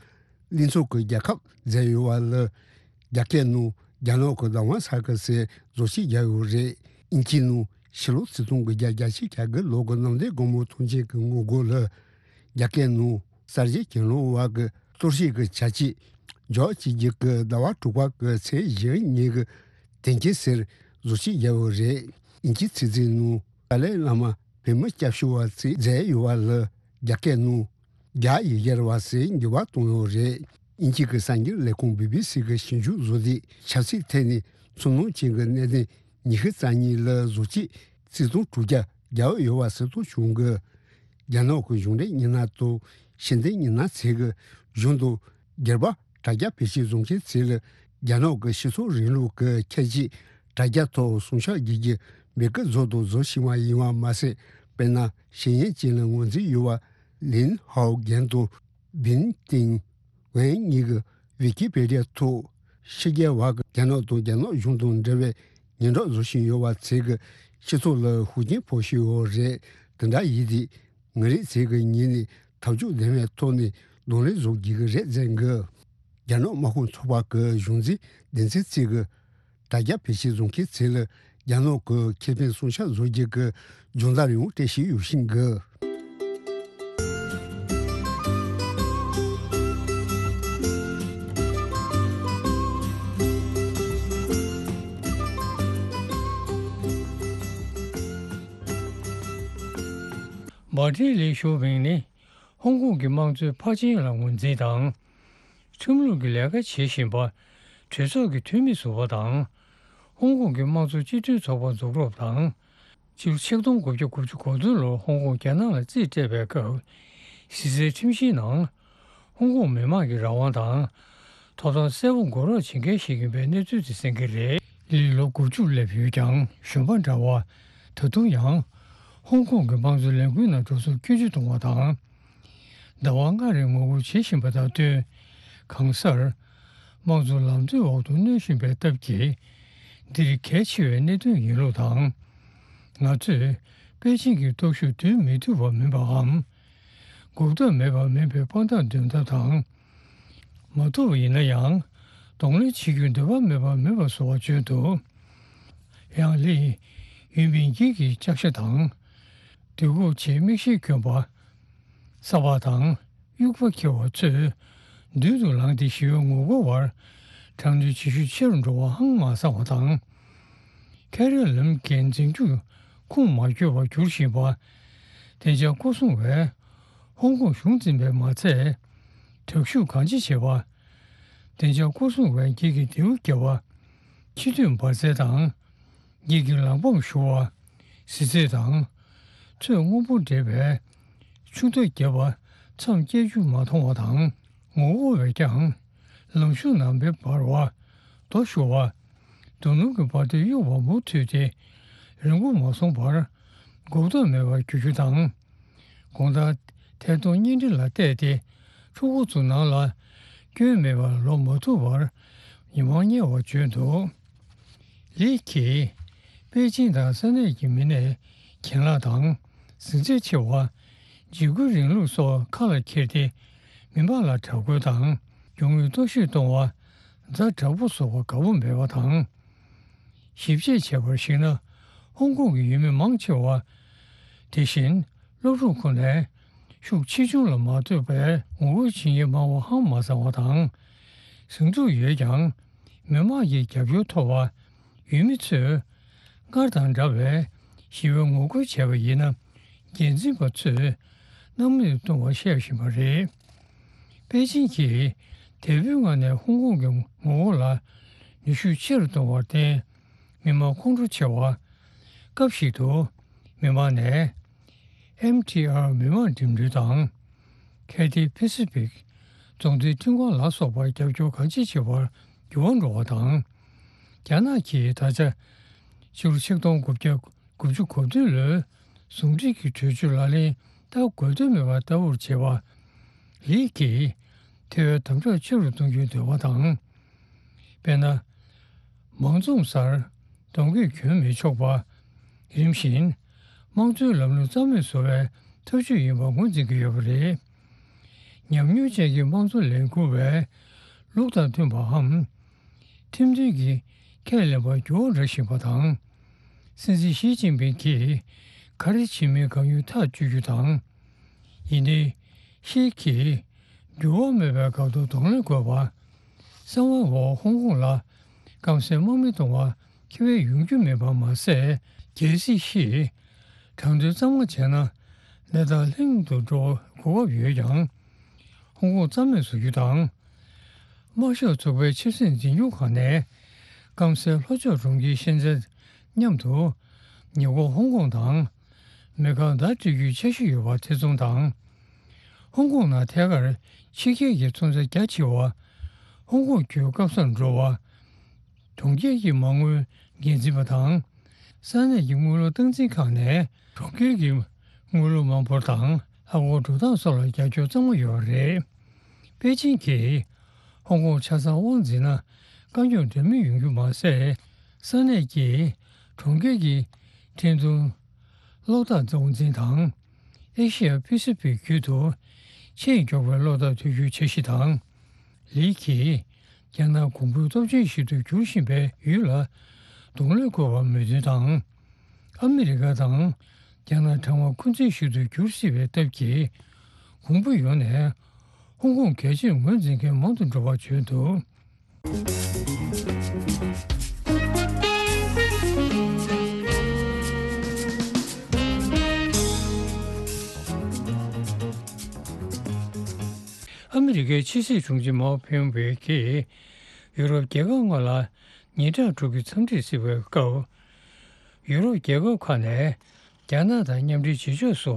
གླིང་ཚོམ་གྱི་རྒྱལ་ཁབ་མཛད་ཡོད་པ་ལ་རྒྱ་སྐད་ནང་རྒྱ་ནག་གི་བདག་དབང་ས་ཁུལ་ཟེར་བཟོ་བཅོས་བརྒྱབ་ཡོད་རེད། དབྱིན་ཇིའི་ནང་ཕྱི་ལོ་ཆིག་སྟོང་དགུ་བརྒྱ་བརྒྱད་ཅུ་གྱ་དགུ་ལོ་གི་གནམ་བདེ་སྒོ་མོ་ཐོན་སྐྱེད་ཀྱི་ངོ་རྒོལ་ལ་རྒྱ་སྐད་ནང་གསར་བརྗེ་གྱེན་ལངས་བར་གྱི་གཏོར་བཤིག་གི་བྱ་སྤྱོད་འཇོག་བྱེད་རྒྱུ་གི་ཟླ་བ་དྲུག་པ་གི་ཚེས་བཞི་ཉིན་གྱི་དོན་རྐྱེན་ཟེར་བཟོ་བཅོས་བརྒྱབ་ཡོད་རེད། དབྱིན་ཇིའི་ཚིག་མཛོད་ནང་ཏཱ་ལའི་བླ་མ་བོད་མི་སྐྱབས་བཅོལ་བ་ཚོས་མཛད་ཡོད་པ་ལ་རྒྱ་སྐད་ནང་རྒྱ་ཡིག་སྦྱར་བ་ཟེར་འགྱུར་བ་བཏང་ཡོད་རེད། དབྱིན་ཇི་གི་གསར་འགྱུར་ལས་ཁུངས་བི་བི་སི་གིས་ཞིབ་འཇུག་བཟོས་ཏེ་ཆབ་སྲིད་ཐད་ནས་ཚོར་སྣང་ཅན་གྱི་གནད་དོན་ཉི་ཤུ་རྩ་གཉིས་ལ་བཟོ་བཅོས་རྩིས་ཐོ་དྲུག་བརྒྱ་བརྒྱབ་ཡོད་པ་གསལ་སྟོན་བྱུང་གི། རྒྱ་ནག་གི་གཞུང་འབྲེལ་མི་སྣ་དང་ཕྱི་འབྲེལ་མི་སྣ་ཚོས་ཀྱི་གཞུང་དང་སྒེར་པ་དྲ་རྒྱ་བེད་སྤྱོད་བཟོ་མཁན་ཚོ་ལ་ རྒྱ་ནག་གི་སྤྱི་ཚོགས་རིང་ལུགས་ཀྱི་ཁྱད་ཆོས་དྲ་རྒྱ་ཐོག་ཟུངས་ཤུགས་རྒྱས་ཀྱི་མི་སྐུ་བཟོ་དང་བཟོ་བཞིན་པ་ཡིན་པ་མ་ཟད། དཔེར་ན། ཞིང་ཡན་ཅིན་ལ་ངོས་འཛིན་ཡོད་པ་ལིན་ཧའོ་རྒན་དང་བིན་ཏིང་ཝན་གཉིས་ཀྱིས་ཝི་ཀི་པེ་ཌི་ཡ་ཐོག་ཕྱི་རྒྱལ་བ་གི་རྒྱ་ནག་དང་རྒྱ་ནག་གཞུང་དང་འབྲེལ་བའི་སྙན་གྲགས་བཟོ་བཞིན་ཡོད་པ་ཚོས་ཀྱི་སྤྱི་ཚོགས་ལ་ཤུགས་རྐྱེན་ཕོག་བཞིན་ཡོད་རེད། དེ་འདྲ་ཡིན་དུས། ང་རང་ཚོས་ཀྱི་ཉིད་ནས་ཐབས་ཇུས་ལྡན་པའི་ཐོག་ནས་གདོང་ལེན་བཟོ་དགོས་ཀྱི་རེད་ཟེར་གི། རྒྱ་ནག་དམག་དཔུང་ཚོགས་པ་གི་གཞུང་འཛིན་སྡེ་ཚན་གཅིག་གི་དྲ་རྒྱ་བེད་སྤྱོད་བཟོ་མཁན་ཚོ་ལ་རྒྱ་ནག་གི་ཁེ་ཕན་སྲུང་སྐྱོབ་བཟོ་རྒྱུ་གི་སྦྱོང་བརྡར་ཡང་སྤྲད་བཞིན་ཡོད་བཞིན་གི། མཱ་ཏིན་ལི་ཞུ་ཝིང་ནི་ཧོང་ཀོང་གི་དམངས་གཙོའི་ཕར་ཕྱིན་ལ་ངོས་འཛིན་དང་། ཁྲིམས་ལུགས་ཀྱི་ལས་ཀ་བྱེད་བཞིན་པ་གྲོས་ཚོགས་ཀྱི་འཐུས་མི་ཟུར་པ་དང་། ཧོང་ཀོང་གི་དམངས་གཙོ་སྤྱི་མཐུན་ཚོགས་པ་འཛུགས་རོགས་དང་། སྤྱི་ལོ་ཆིག་སྟོང་དགུ་བརྒྱ་དགུ་བཅུ་གོ་བདུན་ལོར་ཧོང་ཀོང་རྒྱ་ནག་ལ་རྩིས་སྤྲད་པའི་སྐབས། གཞི་རྩའི་ཁྲིམས་གཞིའི་ནང་། ཧོང་ཀོང་མི་དམངས་ཀྱི་རང་དབང་དང་། ཐོབ་ཐང་གསལ་པོ་འགོག་རོགས་བྱེད་མཁན་ཞིག་ཡིན་པའི་གནས་ཚུལ་དེ་གསན་གྱི་རེད། ལི་ལོ་དགུ་བཅུ་སླེབས་ཡོད་ཀྱང་གཞོན་པ་འདྲ་བ། ད་དུང་ཡང་། ཧོང་ཀོང་གི་དམངས་གཙོ་ལས་འགུལ་ནང་འགྲོ་སོང་སྐྱོན་བརྗོད་གཏོང་བ་དང་། ཟླ་བ་ལྔ་རིང་ངོ་རྒོལ་བྱེད་བཞིན་པ་དང་བསྟུན། གང་སར། དམངས་གཙོ་ལམ་སྟོན་འོག་ཏུ་གནོན་བཞིན་པའི་སྟབས་ཀྱིས། འདིར་གལ་ཆེ་བའི་གནད་དོན་ཡིན་ལུགས་དང་། ང་ཚོས་པེ་ཅིང་གི་སྟོབས་ཤུགས་བསྡུར་མི་ཐུབ་པ་མིན་པའམ། འགོག་ཐབས་མེད་པ་མིན་པའི་དཔང་རྟགས་འདོན་ཐབས་དང་། མ་ཐུབ་པ་ཡིན་ན་ཡང་། གདོང་ལེན་བྱེད་རྒྱུའི་འདོད་པ་མེད་པ་མིན་པ་བཟོ་བ་བརྗོད་འདུག། ཡང་ལི་ཡུན་པིན་ཡིག་གི་ལྕགས་ཤ་དང་། དུས་འགོག་ཆེད་མིག་ཤེལ་གྱོན་པ། ས་ཕག་དང་དབྱུག་པ་འཁྱེར་བ་ཚོས་མདུན་དུ་ལངས་ཏེ་ཞི་བའི་ངོ་རྒོལ་བར་དྲག་གནོན་བྱེད་ཤུགས་ཆེ་རུ་འགྲོ་བ་ཧང་མ་སང་བ་དང་། ཁེ་རི་ལམ་གྱི་འཛིན་སྐྱོང་ཁུངས་མ་འཁྱོལ་བར་གྱུར་བཞིན་པ། བདེ་འཇགས་སྐོར་སྲུང་བས་ཧོང་ཀོང་གཞུང་འཛིན་པས་མ་ཚད། དྲག་ཤུགས་གང་ཅི་བྱེད་པ། བདེ་འཇགས་སྐོར་སྲུང་བས་འགྱིག་གི་མདེའུ་བརྒྱབ་པ། ཕྱི་སྡོད་འབར་རྫས་དང་། འགྱིག་གི་ལག་འབམ་གཞུ་བ། གཟི་རྫས་དང་། ཚོས་སྔོན་པོ་འདྲེས་པའི་ཆུ་རྟ་བརྒྱབ་པ་མཚམས་བཅད་རྒྱུ་མ་མཐོང་བ་དང་། ངོ་རྒོལ་བས་ཀྱང་ལམ་གཞུང་ནང་མེ་འབར་བ། རྡོ་གཞུ་བ། རྡོ་སྣུམ་གྱི་འབར་མདེལ་གཡུག་པ་མུ་མཐུད་དེ་རིང་པོ་མ་སོང་བར་འགོག་ཐབས་མེད་པར་གྱུར་རྒྱུ་དང་། དགོང་དག་ཐད་གཏོང་བརྙན་འཕྲིན་ལ་བལྟས་ཏེ་ཕྲུ་གུ་ཚོ་ནང་ལ་སྐྱོན་མེད་པར་ལོག་མ་ཐུབ་པར་ཉི་མ་ཉལ་བར་བརྗོད་འདུག། ལི་ཁིས་པེ་ཅིང་དང་ས་གནས་ཀྱི་མི་སྣས་གྱེན་ལངས་དང་གཟི་རྩལ་ཆེ་བ། འཇིགས་སྐུལ་རིང་ལུགས་སོགས་ཁ་ལ་འཁྱེར་ཏེ་མི་མང་ལ་དྲག་རྒོལ་དང་རྒྱུ་དངོས་གཏོར་བཤིག་གཏོང་བ། ཛ་དྲག་པོ་བཟོ་བར་དགའ་པོ་མེད་པ་དང་། ཞིབ་དཔྱད་བྱས་པར་གཞིགས་ན་ཧོང་ཀོང་གི་ཡུལ་མི་མང་ཆེ་བ། དེ་བཞིན་སློབ་ཕྲུག་ཁོ་ནའི་ཤུགས་ཆེ་ཆུང་ལ་མ་ལྟོས་པའི་ངོ་རྒོལ་བྱེད་མཁན་མང་བ་ཧང་མ་སང་བ་དང་། ཟིང་འཁྲུག་ཡོད་ཀྱང་མི་མང་གི་རྒྱབ་སྐྱོར་ཐོབ་པ། ཡུལ་མི་ཚོས་སྔར་དང་འདྲ་བའི་ཞི་བའི་ངོ་རྒོལ་བྱས་པ་ཡིན་ན། འགན་འཛིན་པ་ཚོས་སྣང་མེད་དུ་གཏོང་བར་བཤད་བཞིན་པ་རེད། པེ་ཅིང་གིས་དེ་བོའི་ངང་ནས་ཧོང་ཀོང་གི་ངོ་རྒོལ་ལ་ནུས་ཤུགས་ཆེ་རུ་གཏོང་བར་བརྟེན། མི་མང་ཁོང་ཁྲོ་ཆེ་བ། སྐབས་ཤིག་ཏུ་མི་མང་ནས་ཨེམ་ཐི་ཨར་མི་མང་འགྲིམ་འགྲུལ་དང་ཁེ་ཐི་ཕེ་སི་ཕིག་རྫོང་སྡེའི་ཁྲིམས་ཁང་ལ་སོགས་པར་རྒྱབ་སྐྱོར་གང་ཅི་བྱེད་པར་འགྱུར་བ་འགྲོ་བ་དང་། རྒྱ་ནག་གིས་ད་ཆ་ཕྱི་ལོ་ཆིག་སྟོང་དགུ་བརྒྱ་དགུ་བཅུ་གོ་བདུན་ལོའི་ཟུང་འབྲེལ་གྱི་གྲོས་ཆོད་ལག་ལེན་བསྟར་དགོས་དོན་མེད་པ་ལྟ་བུར་བྱེད་པ། ལི་ཁིས་དེ་བས་དམ་དྲག་ཆེ་རུ་གཏོང་རྒྱུའི་འདོད་པ་དང་། དཔེར་ན། མང་འཛོམས་སར་གདོང་གོས་གྱོན་མི་ཆོག་པ། རིམ་བཞིན་དམངས་གཙོའི་ལམ་ལུགས་རྩ་མེད་བཟོ་བའི་ཐབས་ཇུས་ཡིན་པ་ངོས་འཛིན་གྱི་ཡོད་པ་རེད། ཉམས་མྱོང་ཅན་གྱི་དམངས་གཙོ་ལས་འགུལ་བས་ལུགས་དང་མཐུན་པའམ། ཁྲིམས་མཐུན་གྱི་ཁས་ལེན་པར་འགྱུར་བ་འགྲོ་བཞིན་པ་དང་། སྲིད་འཛིན་ཞི་ཅིན་ཕིང་གིས་ག་རེ་བྱེད་མིན་གང་ཡོད་ཐག་གཅོད་རྒྱུ་དང་། ཡིན་ཏེ། ཤེད་ཀྱིས་འགྱུར་བ་མེད་པའི་འགག་ཐོག་གདོང་ལེན་དགོས་པ། གསང་བའི་འོག་ཧོང་ཀོང་ལ་སྐམ་སའི་དམག་མི་གཏོང་བ་ཁེ་ཕན་ཡོང་རྒྱུ་མིན་པ་མ་ཟད། རྒྱལ་སྲིད་བཞི། དྲང་དོན་གཙང་མ་བྱས་ན་གནས་སྟངས་ལྷིང་དུ་འགྲོ་གོ་སྐབས་ཡོད་ཀྱང་། ཧོང་ཀོང་རྩ་མེད་བཟོ་རྒྱུ་དང་། དམར་ཤོག་ཚོགས་པའི་ཆབ་སྲིད་འཛིན་སྐྱོང་ཁང་ནས་སྐམ་སའི་ལྷོ་ཕྱོགས་གྲོང་ཁྱེར་ཤན་ཙེན་མཉམ་དུ་ཉེ་འཁོར་ཧོང་ཀོང་དང་མེ་ཁང་བརྡ་སྤྲོད་རྒྱུའི་འཆར་གཞི་ཡོད་པ་ཐེ་ཚོམ་དང་། ཧོང་ཀོང་ནང་ཐད་ཀར་ཕྱི་རྒྱལ་གྱི་ཚོང་རྫས་རྒྱ་ཆེ་བ་ཧོང་ཀོང་བརྒྱུད་སྐམ་སར་འགྲོ་བ་ གྲོང་ཁྱེར་གྱི་མ་དངུལ་འགན་འཛིན་པ་དང་། ས་གནས་ཀྱི་དངུལ་ལོར་སྟངས་འཛིན་ཁང་ནས་གྲོང་ཁྱེར་གྱི་དངུལ་ལོར་མ་འབོར་དང་ལྷག་དགོས་འགྲོ་སྟངས་སོགས་ལ་རྒྱབ་སྐྱོར་གཙང་མ་ཡོད་པ་རེད། པེ་ཅིང་གིས་ཧོང་ཀོང་ཆ་ཚང་དབང་འཛིན་ན་དཀའ་རྙོག་འདྲ་མིན་ཡོང་རྒྱུ་མ་ཟད། ས་གནས་ཀྱི་གྲོང་ཁྱེར་གྱི་འཕྲིན་གཏོང་གློག་བརྟག་དབང་འཛིན་དང་། ཨེ་ཤི་ཡ་པི་སི་ཕིག་ཁུལ་དུ་ཆེས་མགྱོགས་པའི་གློག་བརྟག་དུས་འགྱུར་འཆར་གཞི་དང་། ལི་གིས་རྒྱ་ནག་གོང་བུ་སྟོབས་ཆེན་ཞིག་ཏུ་འགྱུར་བཞིན་པའི་ཡུལ་ལ་གདོང་ལེན་དགོས་པར་མོས་མཐུན་དང་། ཨ་མི་རི་ཀ་དང་རྒྱ་ནག་གྲང་བ་འཁོན་འཛིན་ཞིག་ཏུ་འགྱུར་སྲིད་པའི་སྟབས་ཀྱིས། གོང་བུ་ཡོངས་ནས་ཧོང་ཀོང་གལ་ཆེར་ངོས་འཛིན་མཁན་མང་དུ་འགྲོ་བར་བརྗོད་འདུག། ཨ་མི་རི་ཀའི་ཕྱི་སྲིད་དྲུང་ཆེ་མའོ་ཕེ་ཡོང་ཝེ་གིས་ཡུ་རོབ་རྒྱལ་ཁབ་ལྔ་ལ་ཉིན་གྲངས་དྲུག་གི་འཚམས་འདྲིར་གཟིགས་པའི་སྐབས། ཡུ་རོབ་རྒྱལ་ཁབ་ཁག་ནས་རྒྱ་ནག་དང་མཉམ་འབྲེལ་བྱེད་ཕྱོགས་སུ་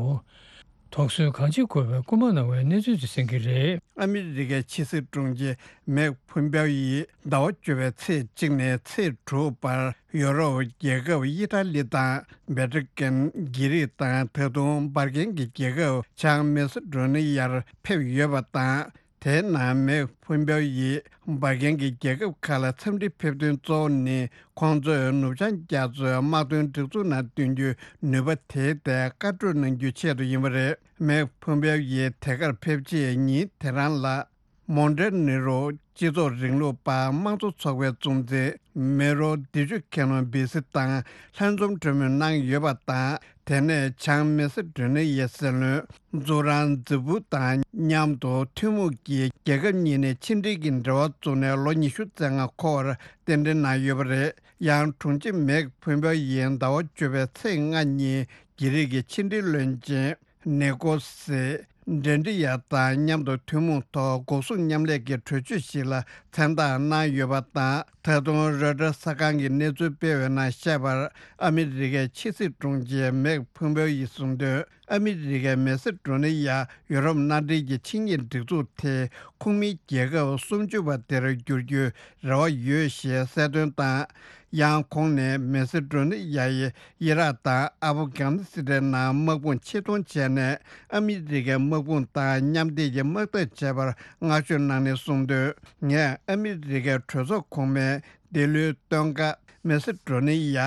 དོགས་ཟོན་གང་ཆེ་དགོས་པའི་སྐུལ་མ་གནང་བའི་གནས་ཚུལ་དེ་གསན་གྱི་རེད། ཨ་མི་རི་ཀའི་ཕྱི་སྲིད་དྲུང་ཆེ་མེག་ཕུམ་པའོ་ཡིས་ཟླ་བ་བཅུ་པའི་ཚེས་གཅིག་ནས་ཚེས་དྲུག་བར་ཡོ་རོབ་རྒྱལ་ཁབ་ཨི་ཊ་ལི་དང་བྷེ་ཊི་ཀན། གྷི་རིག་དང་ད་དུང་འབར་གན་གྱི་རྒྱལ་ཁབ་བྱང་མེ་སི་ཌོ་ནི་ཡར་ཕེབས་ཡོད་པ་དང་། དེའི་ནང་མེག་ཕུམ་པའོ་ཡིས་འབར་གན་གྱི་རྒྱལ་ཁབ་ཁག་ལ་འཚམས་འདྲིར་ཕེབས་དོན་གཙོ་བོ་ནི། ཁོང་ཚོས་ནུབ་བྱང་རྒྱ་མཚོའི་དམག་དོན་སྒྲིག་འཛུགས་ནང་བསྟུན་རྒྱུའི་ནུས་པ་དེའི་ཐད་བཀའ་གྲོས་གནང་རྒྱུའི་ཆེད་དུ་ཡིན་པ་རེད། མེག་ཕུམ་པའོ་ཡིས་དེ་གར་ཕེབས་རྗེས་ཉིན་དེ་རང་ལ། མོན་ཊེ་ནེ་རོ་སྤྱི་ཚོགས་རིང་ལུགས་པ་དམངས་གཙོ་ཚོགས་པའི་གཙོ་འཛིན་མེ་རོ་བདེ་སྐྱིད་མཁན་པོ་བི་སི་དང་ལྷན་འཛོམས་གྲོས་མོལ་གནང་ཡོད་པ་དང་། དེ་ནས་བྱང་མེ་སི་ཌོ་ནི་ཡའི་སྲིད་བློན་ཛུ་རང་ཛི་བུ་དང་མཉམ་དུ་ཐུན་མོང་གིས་རྒྱལ་ཁབ་གཉིས་ནས་ཕྱི་འབྲེལ་གྱི་འབྲེལ་བ་བཙུགས་ནས་ལོ་ཉི་ཤུ་རྩ་ལྔ་འཁོར་བར་རྟེན་འབྲེལ་གནང་ཡོད་པ་རེད། ཡང་དྲུང་ཆེ་མེག་ཕུམ་པའོ་ཡིས་ཟླ་བ་བཅུ་པའི་ཚེས་ལྔ་ཉིན་གྷི་རིག་གི་ཕྱི་འབྲེལ་བློན་ཆེན་ནེ་ཀོ་སི་ཌེན་ཏྲི་ཡ་དང་མཉམ་དུ་ཐུན་མོང་ཐོག་འགོག་སྲུང་མཉམ་ལས་ཀྱི་གྲོས་ཆོད་ཞིག་ལ་མཚན་རྟགས་གནང་ཡོད་པ་དང་། ད་དུང་རོའི་ཊར་གསར་ཁང་གིས་གནས་ཚུལ་སྤེལ་བའི་ནང་བཤད་པར། ཨ་མི་རི་ཀའི་ཕྱི་སྲིད་དྲུང་ཆེ་མེག་ཕུམ་པའོ་ཡིས་གསུངས་དོན། ཨ་མི་རི་ཀའི་མེ་སི་ཌོ་ནི་ཡ་ཡུ་རོབ་མནའ་འབྲེལ་གྱི་ཆིངས་ཡིག་སྒྲིག་འཛུགས་དེ་ཁོངས་མི་རྒྱལ་ཁབ་སུམ་ཅུ་པ་དེར་འགྱུར་རྒྱུའི་རེ་བ་ཡོད་ཞེས་གསལ་སྟོན་དང་། ཡང་ཁོང་ནས་མེ་སི་ཌོ་ནི་ཡ་ཡི་ཨི་རག་དང་ཨ་བྷ་གྷ་ནི་སི་ཐན་ནང་དམག་དཔུང་ཆེད་གཏོང་བྱས་ནས། ཨ་མི་རི་ཀའི་དམག་དཔུང་དང་མཉམ་འབྲེལ་གྱི་དམག་འཐབ་བྱས་པར་བསྔགས་བརྗོད་གནང་ནས་གསུངས་དོན། ངས་ཨ་མི་རི་ཀའི་གྲོས་ཚོགས་གོང་མའི་འདི་ལོའི་སྟོན་ཁ་མེ་སི་ཌོ་ནི་ཡ་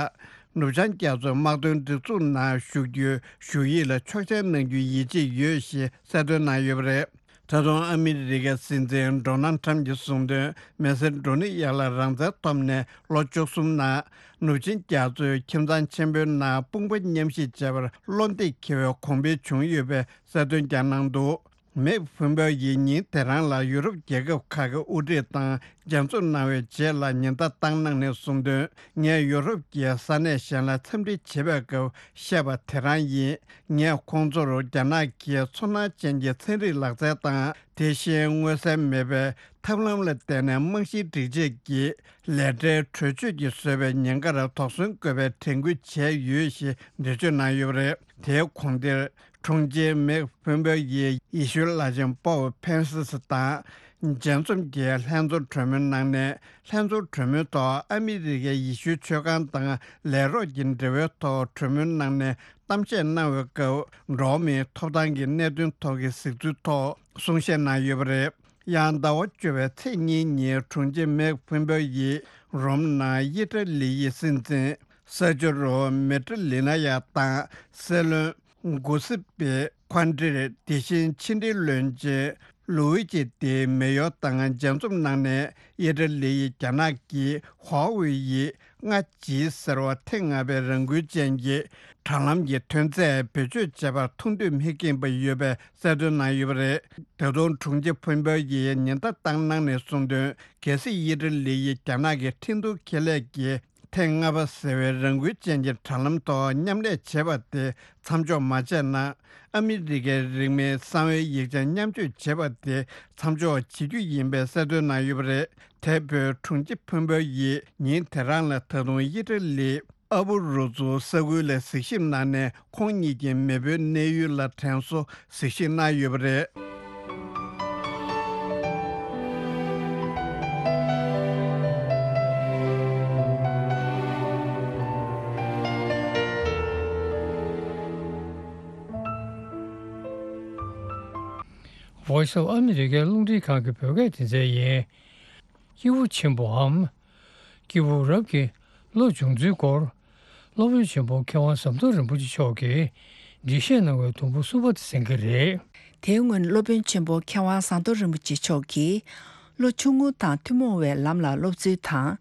ནུབ་བྱང་རྒྱ་མཚོའི་དམག་དོན་སྒྲིག་འཛུགས་ནང་ཞུགས་རྒྱུའི་ཞུ་ཡིག་ལ་ཆོག་མཆན་གནང་རྒྱུའི་ཡིད་ཆེས་ཡོད་ཞེས་གསལ་སྟོན་གནང་ཡོད་པ་རེད། ད་དུང་ཨ་མི་རི་ཀའི་སྲིད་འཛིན་ཌོ་ནལ་ཁྲམ་གྱིས་གསུངས་དོན། མེ་སི་ཌོ་ནི་ཡ་ལ་རང་བཙན་ཐོབ་ནས་ལོ་བཅུ་གསུམ་ནང་ནུབ་ཆིངས་རྒྱ་མཚོའི་ཁྱིམ་ཚང་ཆེན་པོའི་ནང་དཔུང་པ་མཉམ་གཤིབ་བྱས་པར་བློ་འདེགས་འཁེལ་བའི་གོང་འཕེལ་བྱུང་ཡོད་པའི་གསལ་སྟོན་ཀྱང་གནང་འདུག། མེག་ཕུམ་པའོ་ཡིས་ཉིན་དེ་རང་ལ་ཡུ་རོབ་རྒྱལ་ཁབ་ཁག་གི་དབུ་ཁྲིད་དང་མཇལ་འཛོམས་གནང་བའི་རྗེས་ལ་ཉེན་བརྡ་བཏང་གནང་ནས་གསུངས་དོན། ངས་ཡུ་རོབ་ཀྱི་ས་གནས་གཞན་ལ་འཚམས་འདྲི་བྱེད་པའི་སྐབས་བཤད་པ་དེ་རང་ཡིན། ངས་ཁོང་ཚོར་རྒྱ་ནག་གིས་ཚོར་སྣང་ཅན་གྱི་ཚན་རིག་ལག་རྩལ་དང་། དེ་བཞིན་མངོན་གསལ་མེད་པའི་ཐབས་ལམ་ལ་བརྟེན་ནས་རྨང་གཞིའི་སྒྲིག་ཆས་ཀྱི་ལས་གྲྭའི་གྲོས་ཆོད་ཀྱིས་བཟོས་པའི་ཉེན་ཁར་དོགས་ཟོན་དགོས་པའི་དྲན་སྐུལ་བྱས་ཡོད་ཞེས་འགྲེལ་བརྗོད་གནང་ཡོད་པ་རེད། དེའི་གོང་དེར། དྲུང་ཆེ་མེག་ཕུམ་པའོ་ཡིས་ཡེ་ཤུའི་བླ་ཆེན་པོབ་ཕན་སི་སི་དང་མཇལ་འཛོམས་ཀྱིས་ལྷན་ཚོགས་གྲོས་མོལ་གནང་ནས། ལྷན་ཚོགས་གྲོས་མོལ་ཐོག་ཨ་མི་རི་ཀའི་ཡེ་ཤུའི་ཆོས་ཁང་དང་ལས་རོགས་ཀྱི་འབྲེལ་བའི་ཐོག་གྲོས་མོལ་གནང་ནས་གཏམ་བཤད་གནང་བའི་སྐབས། འགྲོ་བ་མིའི་ཐོབ་ཐང་གི་གནད་དོན་ཐོག་གི་གཟིགས་ཚུལ་ཐོག་གསུང་བཤད་གནང་ཡོད་པ་རེད། ཡང་ཟླ་བ་བཅུ་པའི་ཚེས་གཉིས་ཉིན་དྲུང་ཆེ་མེག་ཕུམ་པའོ་ཡིས་རོམ་ནང་ཨི་ཊ་ལི་ཡི་སྲིད་འཛིན་ས་ཇོ་རོ་མེ་ཏྲ་ལི་ན་ཡ་དང་། སྲིད་བློན་གུ་སི་པེ་ཁོན་ཏྲེ། དེ་བཞིན་ཕྱི་འབྲེལ་བློན་ཆེན་ལུའུ་ཅི་ཏེ་མེ་ཡོ་དང་མཇལ་འཛོམས་གནང་ནས། ཨི་ཊ་ལི་ཡིས་རྒྱ་ནག་གི་ཧྭ་ཝེ་ཡི་ལྔ་ཇི་ཟེར་བ་ཐེངས་ལྔ་པའི་རང་འགུལ་ཅན་གྱི་དྲ་ལམ་གྱི་ཐོན་རྫས་བེད་སྤྱོད་བྱས་པར་ཐུགས་འདོད་མི་སྐྱེས་པ་ཡོད་པའི་གསལ་སྟོན་གནང་ཡོད་པ་རེད། ད་དུང་དྲུང་ཆེ་ཕུན་པའོ་ཡིས་ཉེན་བརྡ་བཏང་གནང་ནས་གསུངས་དོན། གལ་སྲིད་ཨི་ཊ་ལི་ཡིས་རྒྱ་ནག་གི་ཁྲིན་ཏུའུ་ཁེ་ལས་ཀྱི་ཐེངས་ལྔ་པ་ཟེར་བའི་རང་འགུལ་ཅན་གྱི་དྲ་ལམ་ཐོག་མཉམ་ལས་བྱས་པ་དེ་མཚམས་འཇོག་མ་བྱས་ན། ཨ་མི་རི་ཀའི་རིང་མིན་གསང་བའི་ཡིག་ཆ་མཉམ་སྤྱོད་བྱས་པ་དེ་མཚམས་འཇོག་བྱེད་རྒྱུ་ཡིན་པའི་གསལ་སྟོན་གནང་ཡོད་པ་རེད། དེ་བོད་དྲུང་ཆེ་ཕུན་པའོ་ཡིས་ཉིན་དེ་རང་ལ་ད་དུང་ཨི་ཊ་ལི་ཨ་བུ་རུ་ཛུ་ས་ཁུལ་ལ་གཟིགས་ཞིབ་གནང་ནས། ཁོང་ཉིད་ཀྱི་མེས་པོའི་གནས་ཡུལ་ལ་དྲན་གསོ་གཟིགས་ཞིབ་གནང་ཡོད་པ་རེད། Voice of America རླུང་འཕྲིན་ཁང་གི་བོད་སྐད་སྡེ་ཚན་ཡིན། སྐྱེས་བུ་ཆེན་པོའམ། སྐྱེས་བུ་རབ་ཀྱི་བློ་སྦྱོང་ཚུལ་སྐོར། སློབ་དཔོན་ཆེན་པོ་མཁས་དབང་ཟམ་གདོང་རིན་པོ་ཆེ་མཆོག་གིས་འགྲེལ་བཤད་གནང་བའི་དུམ་བུ་གསུམ་པ་དེ་གསན་གྱི་རེད། དེའི་སྔོན་སློབ་དཔོན་ཆེན་པོ་མཁས་དབང་ཟམ་གདོང་རིན་པོ་ཆེ་མཆོག་གིས། བློ་ཆུང་ངུ་དང་ཐུན་མོང་བའི་ལམ་ལ་སློབ་ཚུལ་དང་།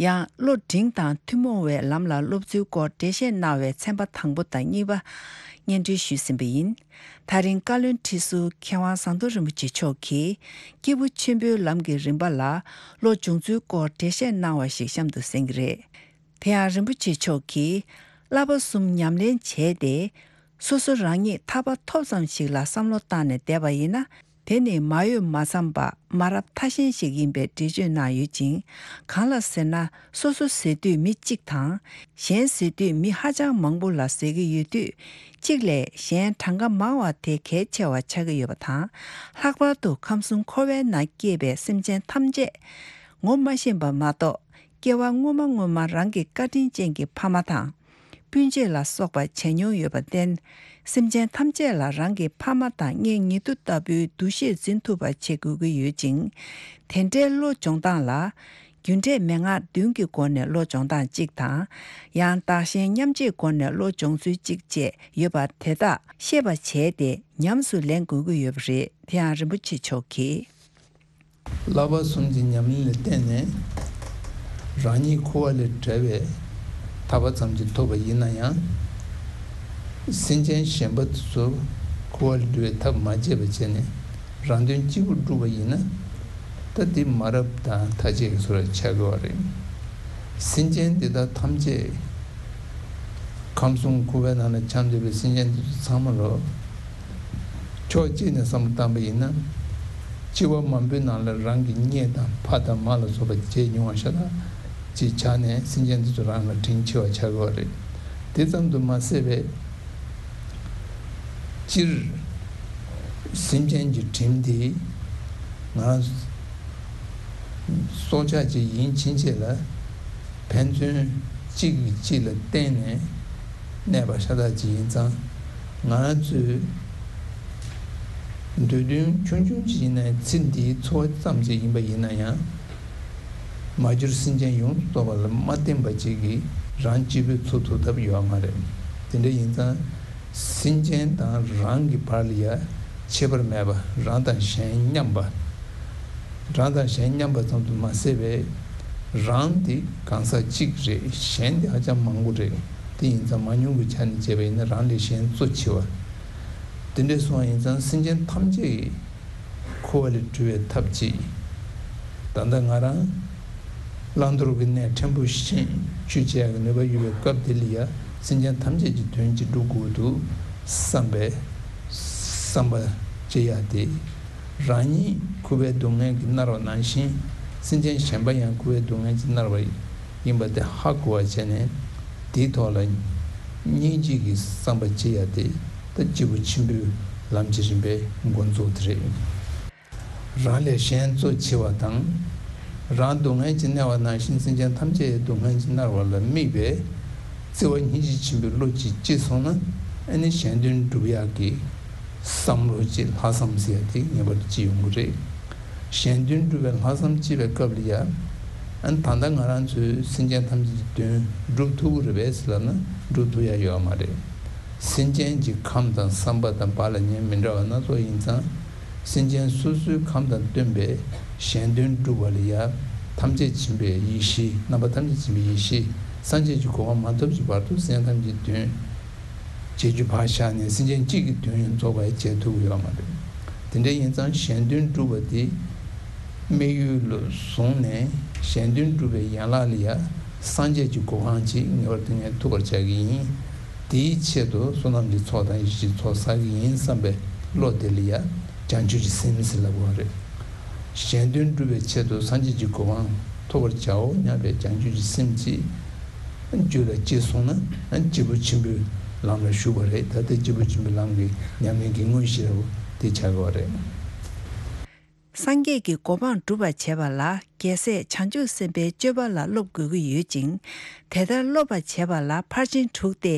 ཡང་བློ་འབྲིང་དང་ཐུན་མོང་བའི་ལམ་ལ་སློབ་ཚུལ་སྐོར་འགྲེལ་བཤད་གནང་བའི་ཚན་པ་དང་པོ་དང་གཉིས་པ་སྙན་སྒྲོན་ཞུས་ཟིན་པ་ཡིན། ད་རིང་བཀའ་བློན་ཁྲི་ཟུར་མཁས་དབང་ཟམ་གདོང་རིན་པོ་ཆེ་མཆོག་གིས་སྐྱེས་བུ་ཆེན་པོའི་ལམ་གྱི་རིམ་པ་ལ་བློ་སྦྱོང་ཚུལ་སྐོར་འགྲེལ་བཤད་གནང་བ་ཞིག་གཤམ་དུ་གསན་གྱི་རེད། དེ་ཡང་རིན་པོ་ཆེ་མཆོག་གིས་བསླབ་པ་གསུམ་ཉམས་ལེན་བྱས་ཏེ། སོ་སོ་རང་ཉིད་ཐར་པ་ཐོབ་ཙམ་ཞིག་ལ་བསམ་བློ་བཏང་ནས་བསྡད་པ་ཡིན་ན། དེ་ནི་མ་འོས་མ་འཚམས་པ་མ་རབས་ཐ་ཤལ་ཞིག་ཡིན་པའི་འགྲེལ་བརྗོད་གནང་ཡོད་ཅིང་། གང་ལ་ཟེར་ན། སོ་སོ་ཟེར་དུས་མི་གཅིག་དང་། གཞན་ཟེར་དུས་མི་ཧ་ཅང་མང་པོ་ལ་ཟེར་གྱི་ཡོད་དུས། གཅིག་ལས་གཞན་གྲངས་ཀ་མང་བ་དེ་གལ་ཆེ་བ་ཆགས་ཀྱི་ཡོད་པ་དང་། ལྷག་པར་དུ་ཁམས་གསུམ་འཁོར་བའི་ནང་སྐྱེས་པའི་སེམས་ཅན་ཐམས་ཅད་ངོ་མ་ཤེས་པ་མ་གཏོགས། སྐྱེ་བ་སྔོན་མ་སྔོན་མ་རང་གི་བཀའ་དྲིན་ཅན་གྱི་ཕ་མ་དང་། སྤུན་མཆེད་ལ་སོགས་པ་བྱས་མྱོང་ཡོད་པར་བརྟེན། སེམས་ཅན་ཐམས་ཅད་ལ་རང་གི་ཕ་མ་དང་གཉེན་ཉེ་དུ་ལྟ་བུའི་འདུ་ཤེས་འཛིན་ཐུབ་པ་བྱེད་དགོས་ཀྱི་ཡོད་ཅིང་། དེ་འདྲའི་བློ་སྦྱོང་སྟངས་ལ། རྒྱུ་འབྲས་མན་ངག་བདུན་གྱི་སྒོ་ནས་བློ་སྦྱོང་སྟངས་གཅིག་དང་། ཡང་བདག་གཞན་མཉམ་བརྗེའི་སྒོ་ནས་བློ་སྦྱོང་ཚུལ་གཅིག་བཅས་ཡོད་པ་དེ་དག་ཤེས་པ་བྱས་ཏེ་ཉམས་སུ་ལེན་དགོས་ཀྱི་ཡོད་པ་རེད། དེ་ཡང་རིན་པོ་ཆེ་མཆོག་གིས། བསླབ་པ་གསུམ་གྱི་ཉམས་ལེན་ལ་བརྟེན་ནས་རང་ཉིད་འཁོར་བ་ལས་བྲལ་བའི་ཐར་པ་ཙམ་གྱིས་ཐོབ་པ་ཡིན་ན་ཡང་། སེམས་ཅན་གཞན་པ་ཚོ་འཁོར་བ་ལས་སྒྲོལ་བའི་ཐབས་མ་བྱས་པ་བྱས་ནས་རང་དོན་གཅིག་པུ་བསྒྲུབས་པ་ཡིན་ན། ད་དེ་མ་རབས་དང་ཐ་ཆད་ཀྱི་བཟོ་འདྲ་ཆགས་ཀྱི་ཡོད་རེད། སེམས་ཅན་འདི་དག་ཐམས་ཅད། ཁམས་གསུམ་འཁོར་བའི་ནང་ལ་འཁྱམས་བསྡད་པའི་སེམས་ཅན་འདི་ཚོ་ཚང་མ་ལོ། ཕྱོགས་གཅིག་ནས་བསམ་བློ་བཏང་པ་ཡིན་ན། སྐྱེ་བ་མང་པོའི་ནང་ལ་རང་གི་གཉེན་དང་ཕ་དང་མ་ལ་སོགས་པ་བརྗེད་མྱོང་བ་ཤ་སྟག་ཅིག་ཆགས་ནས་སེམས་ཅན་འདི་ཚོ་རང་ལ་དྲིན་ཆེ་བ་ཆགས་ཀྱི་ཡོད་རེད། དེ་ཙམ་དུ་མ་ཟད་པའི། སྤྱིར། སེམས་ཅན་གྱི་དྲིན་དེ་ང་རང་སྲོག་ཆགས་ཅིག་ཡིན་ཕྱིན་ཆད་ལ་ཕན་ཚུན་གཅིག་གིས་གཅིག་ལ་བརྟེན་ནས་གནས་པ་ཤ་སྟག་ཅིག་ཡིན་ཙང་། ང་རང་ཚོའི་འདོད་དོན་ཆུང་ཆུང་ཅིག་ཡིན་ན་ཚེ་འདིའི་འཚོ་བ་ཙམ་ཅིག་ཡིན་པ་ཡིན་ན་ཡང་། མ་གྱུར་སེམས་ཅན་ཡོངས་སུ་རྫོགས་པ་ལ་མ་བརྟེན་པ་ཅིག་གིས་རང་གཅིག་པུས་འཚོ་ཐུབ་ཐབས་ཡོད་མ་རེད། དེ་འདྲ་ཡིན་ཙང་། སེམས་ཅན་དང་རང་གི་བར་ལ་ཡ་ཁྱད་པར་མེད་པ། རང་དང་གཞན་མཉམ་པ། རང་དང་གཞན་མཉམ་པ་ཙམ་དུ་མ་ཟད་པའི་རང་དེ་གང་ཟག་གཅིག་རེད། གཞན་དེ་ཧ་ཅང་མང་པོ་རེད། དེ་ཡིན་ཙང་མང་ཉུང་གི་ཆ་ནས་བྱས་པ་ཡིན་ན་རང་ལས་གཞན་གཙོ་ཆེ་བ། དེ་འདྲ་སོང་བ་ཡིན་ཙང་སེམས་ཅན་ཐམས་ཅད་ཀྱི་འཁོར་བ་ལས་གྲོལ་བའི་ཐབས་ཅིག་ད་ལྟ་ང་རང་བླང་དོར་གྱི་གནས་ཕྲན་བུ་ཤེས་བཅོས་བྱེད་ཡག་གི་ནུས་པ་ཡོད་པའི་སྐབས་དེ་ལ་ཡ་སེམས་ཅན་ཐམས་ཅད་ཀྱི་དོན་གཅིག་སྒྲུབ་དགོས་འདུག་བསམ་པའི་བསམ་པ་བྱེད་ཡག་དེ། རང་ཉིད་འཁོར་བའི་སྡུག་བསྔལ་གྱིས་མནར་བ་ནང་བཞིན་སེམས་ཅན་གཞན་པ་ཡང་འཁོར་བའི་སྡུག་བསྔལ་གྱིས་མནར་བ་ཡིན་པ་དེ་ཧ་གོ་བ་བྱས་ནས་དེའི་ཐོག་ལ་སྙིང་རྗེ་གི་བསམ་པ་བྱེད་ཡག་དེ་ད་སྐྱེས་བུ་ཆེན་པོའི་ལམ་གྱི་རིམ་པའི་འགོ་འཛུགས་དེ་རེད། རང་ལས་གཞན་གཙོ་ཆེ་བ་དང་། རང་སྡུག་བསྔལ་གྱིས་མནར་བ་ནང་བཞིན་སེམས་ཅན་ཐམས་ཅད་སྡུག་བསྔལ་གྱིས་མནར་བ་ལ་དམིགས་པའི་བརྩེ་བ་སྙིང་རྗེ་ཆེན་པོའི་བློ་གཅིག་སྐྱེས་སོང་ན་ཨ་ནི་གཞན་དོན་སྒྲུབ་ཡག་གི་བསམ་བློ་གཅིག་ལྷག་བསམ་ཟེར་ཡག་དེ་ངེས་པར་དུ་སྐྱེ་ཡོང་གི་རེད། གཞན་དོན་སྒྲུབ་པའི་ལྷག་བསམ་སྐྱེས་པའི་སྐབས་ལ་ཡ། ཨ་ནི་ད་ལྟ་ང་རང་ཚོས་སེམས་ཅན་ཐམས་ཅད་ཀྱི་དོན་སྒྲུབ་ཐུབ་ཀྱི་རེད་པས་ཟེར་ལབ་ན་སྒྲུབ་ཐུབ་ཡག་ཡོད་མ་རེད། སེམས་ཅན་གྱི་ཁམས་དང་བསམ་པ་དང་བག་ལ་ཉལ་མི་འདྲ་བ་སྣ་ཚོགས་ཡིན་ཙང་། སེམས་ཅན་སོ་སོའི་ཁམས་དང་བསྟུན་པའི་གཞན་དོན་སྒྲུབ་པ་ལ་ཡ། ཐམས་ཅད་མཁྱེན་པའི་ཡེ་ཤེས། རྣམ་པ་ཐམས་ཅད་མཁྱེན་པའི་ཡེ་ཤེས། སངས་རྒྱས་ཀྱི་གོ་འཕང་མ་ཐོབ་ཀྱི་བར་དུ་སེམས་ཅན་ཐམས་ཅད་དོན་བྱེད་རྒྱུ་ཕར་བཞག་ནས་སེམས་ཅན་གཅིག་གི་དོན་ཡང་རྫོགས་པ་ཡང་བྱེད་ཐུབ་ཀྱི་ཡོད་མ་རེད། དེ་འདྲ་ཡིན་ཙང་གཞན་དོན་སྒྲུབ་པ་དེ་དམིགས་ཡུལ་ལ་བཟུང་ནས་གཞན་དོན་སྒྲུབ་པའི་ཡན་ལག་ལ་ཡ་སངས་རྒྱས་ཀྱི་གོ་འཕང་ཅིག་ངེས་པར་དུ་ངས་ཐོབ་པར་བྱ་གི་ཡིན། དེའི་ཆེད་དུ་བསོད་ནམས་ཀྱི་ཚོགས་དང་ཡེ་ཤེས་ཀྱི་ཚོགས་བསགས་ཀྱི་ཡིན་བསམ་པའི་བློ་དེ་ལ་ཡ་བྱང་ཆུབ་ཀྱི་སེམས་ཟེར་ལབ་དགོས་པ་རེད། གཞན་དོན་སྒྲུབ་པའི་ཆེད་དུ་སངས་རྒྱས་ཀྱི་གོ་འཕང་ཐོབ་པར་བྱའོ་སྙམ་པའི་བྱང་ཆུབ་ཀྱི་སེམས་ཀྱིས་རྒྱུད་ལ་སྐྱེས་སོང་ན་སྐྱེས་བུ་ཆེན་པོའི་ལམ་ལ་ཞུགས་པ་རེད། ད་ལྟ་སྐྱེས་བུ་ཆེན་པོའི་ལམ་གྱི་ཉམས་ལེན་གྱི་དངོས་གཞི་རེད་པ་དེ་ཆགས་ཀྱི་ཡོད་རེད། སངས་རྒྱས་ཀྱི་གོ་འཕང་སྒྲུབ་པར་བྱེད་པ་ལ་རྒྱལ་སྲས་བྱང་ཆུབ་སེམས་དཔའི་སྤྱོད་པ་ལ་སློབ་དགོས་ཀྱི་ཡོད་ཅིང་། དེ་ལྟར་སློབ་པར་བྱེད་པ་ལ་ཕར་ཕྱིན་དྲུག་སྟེ།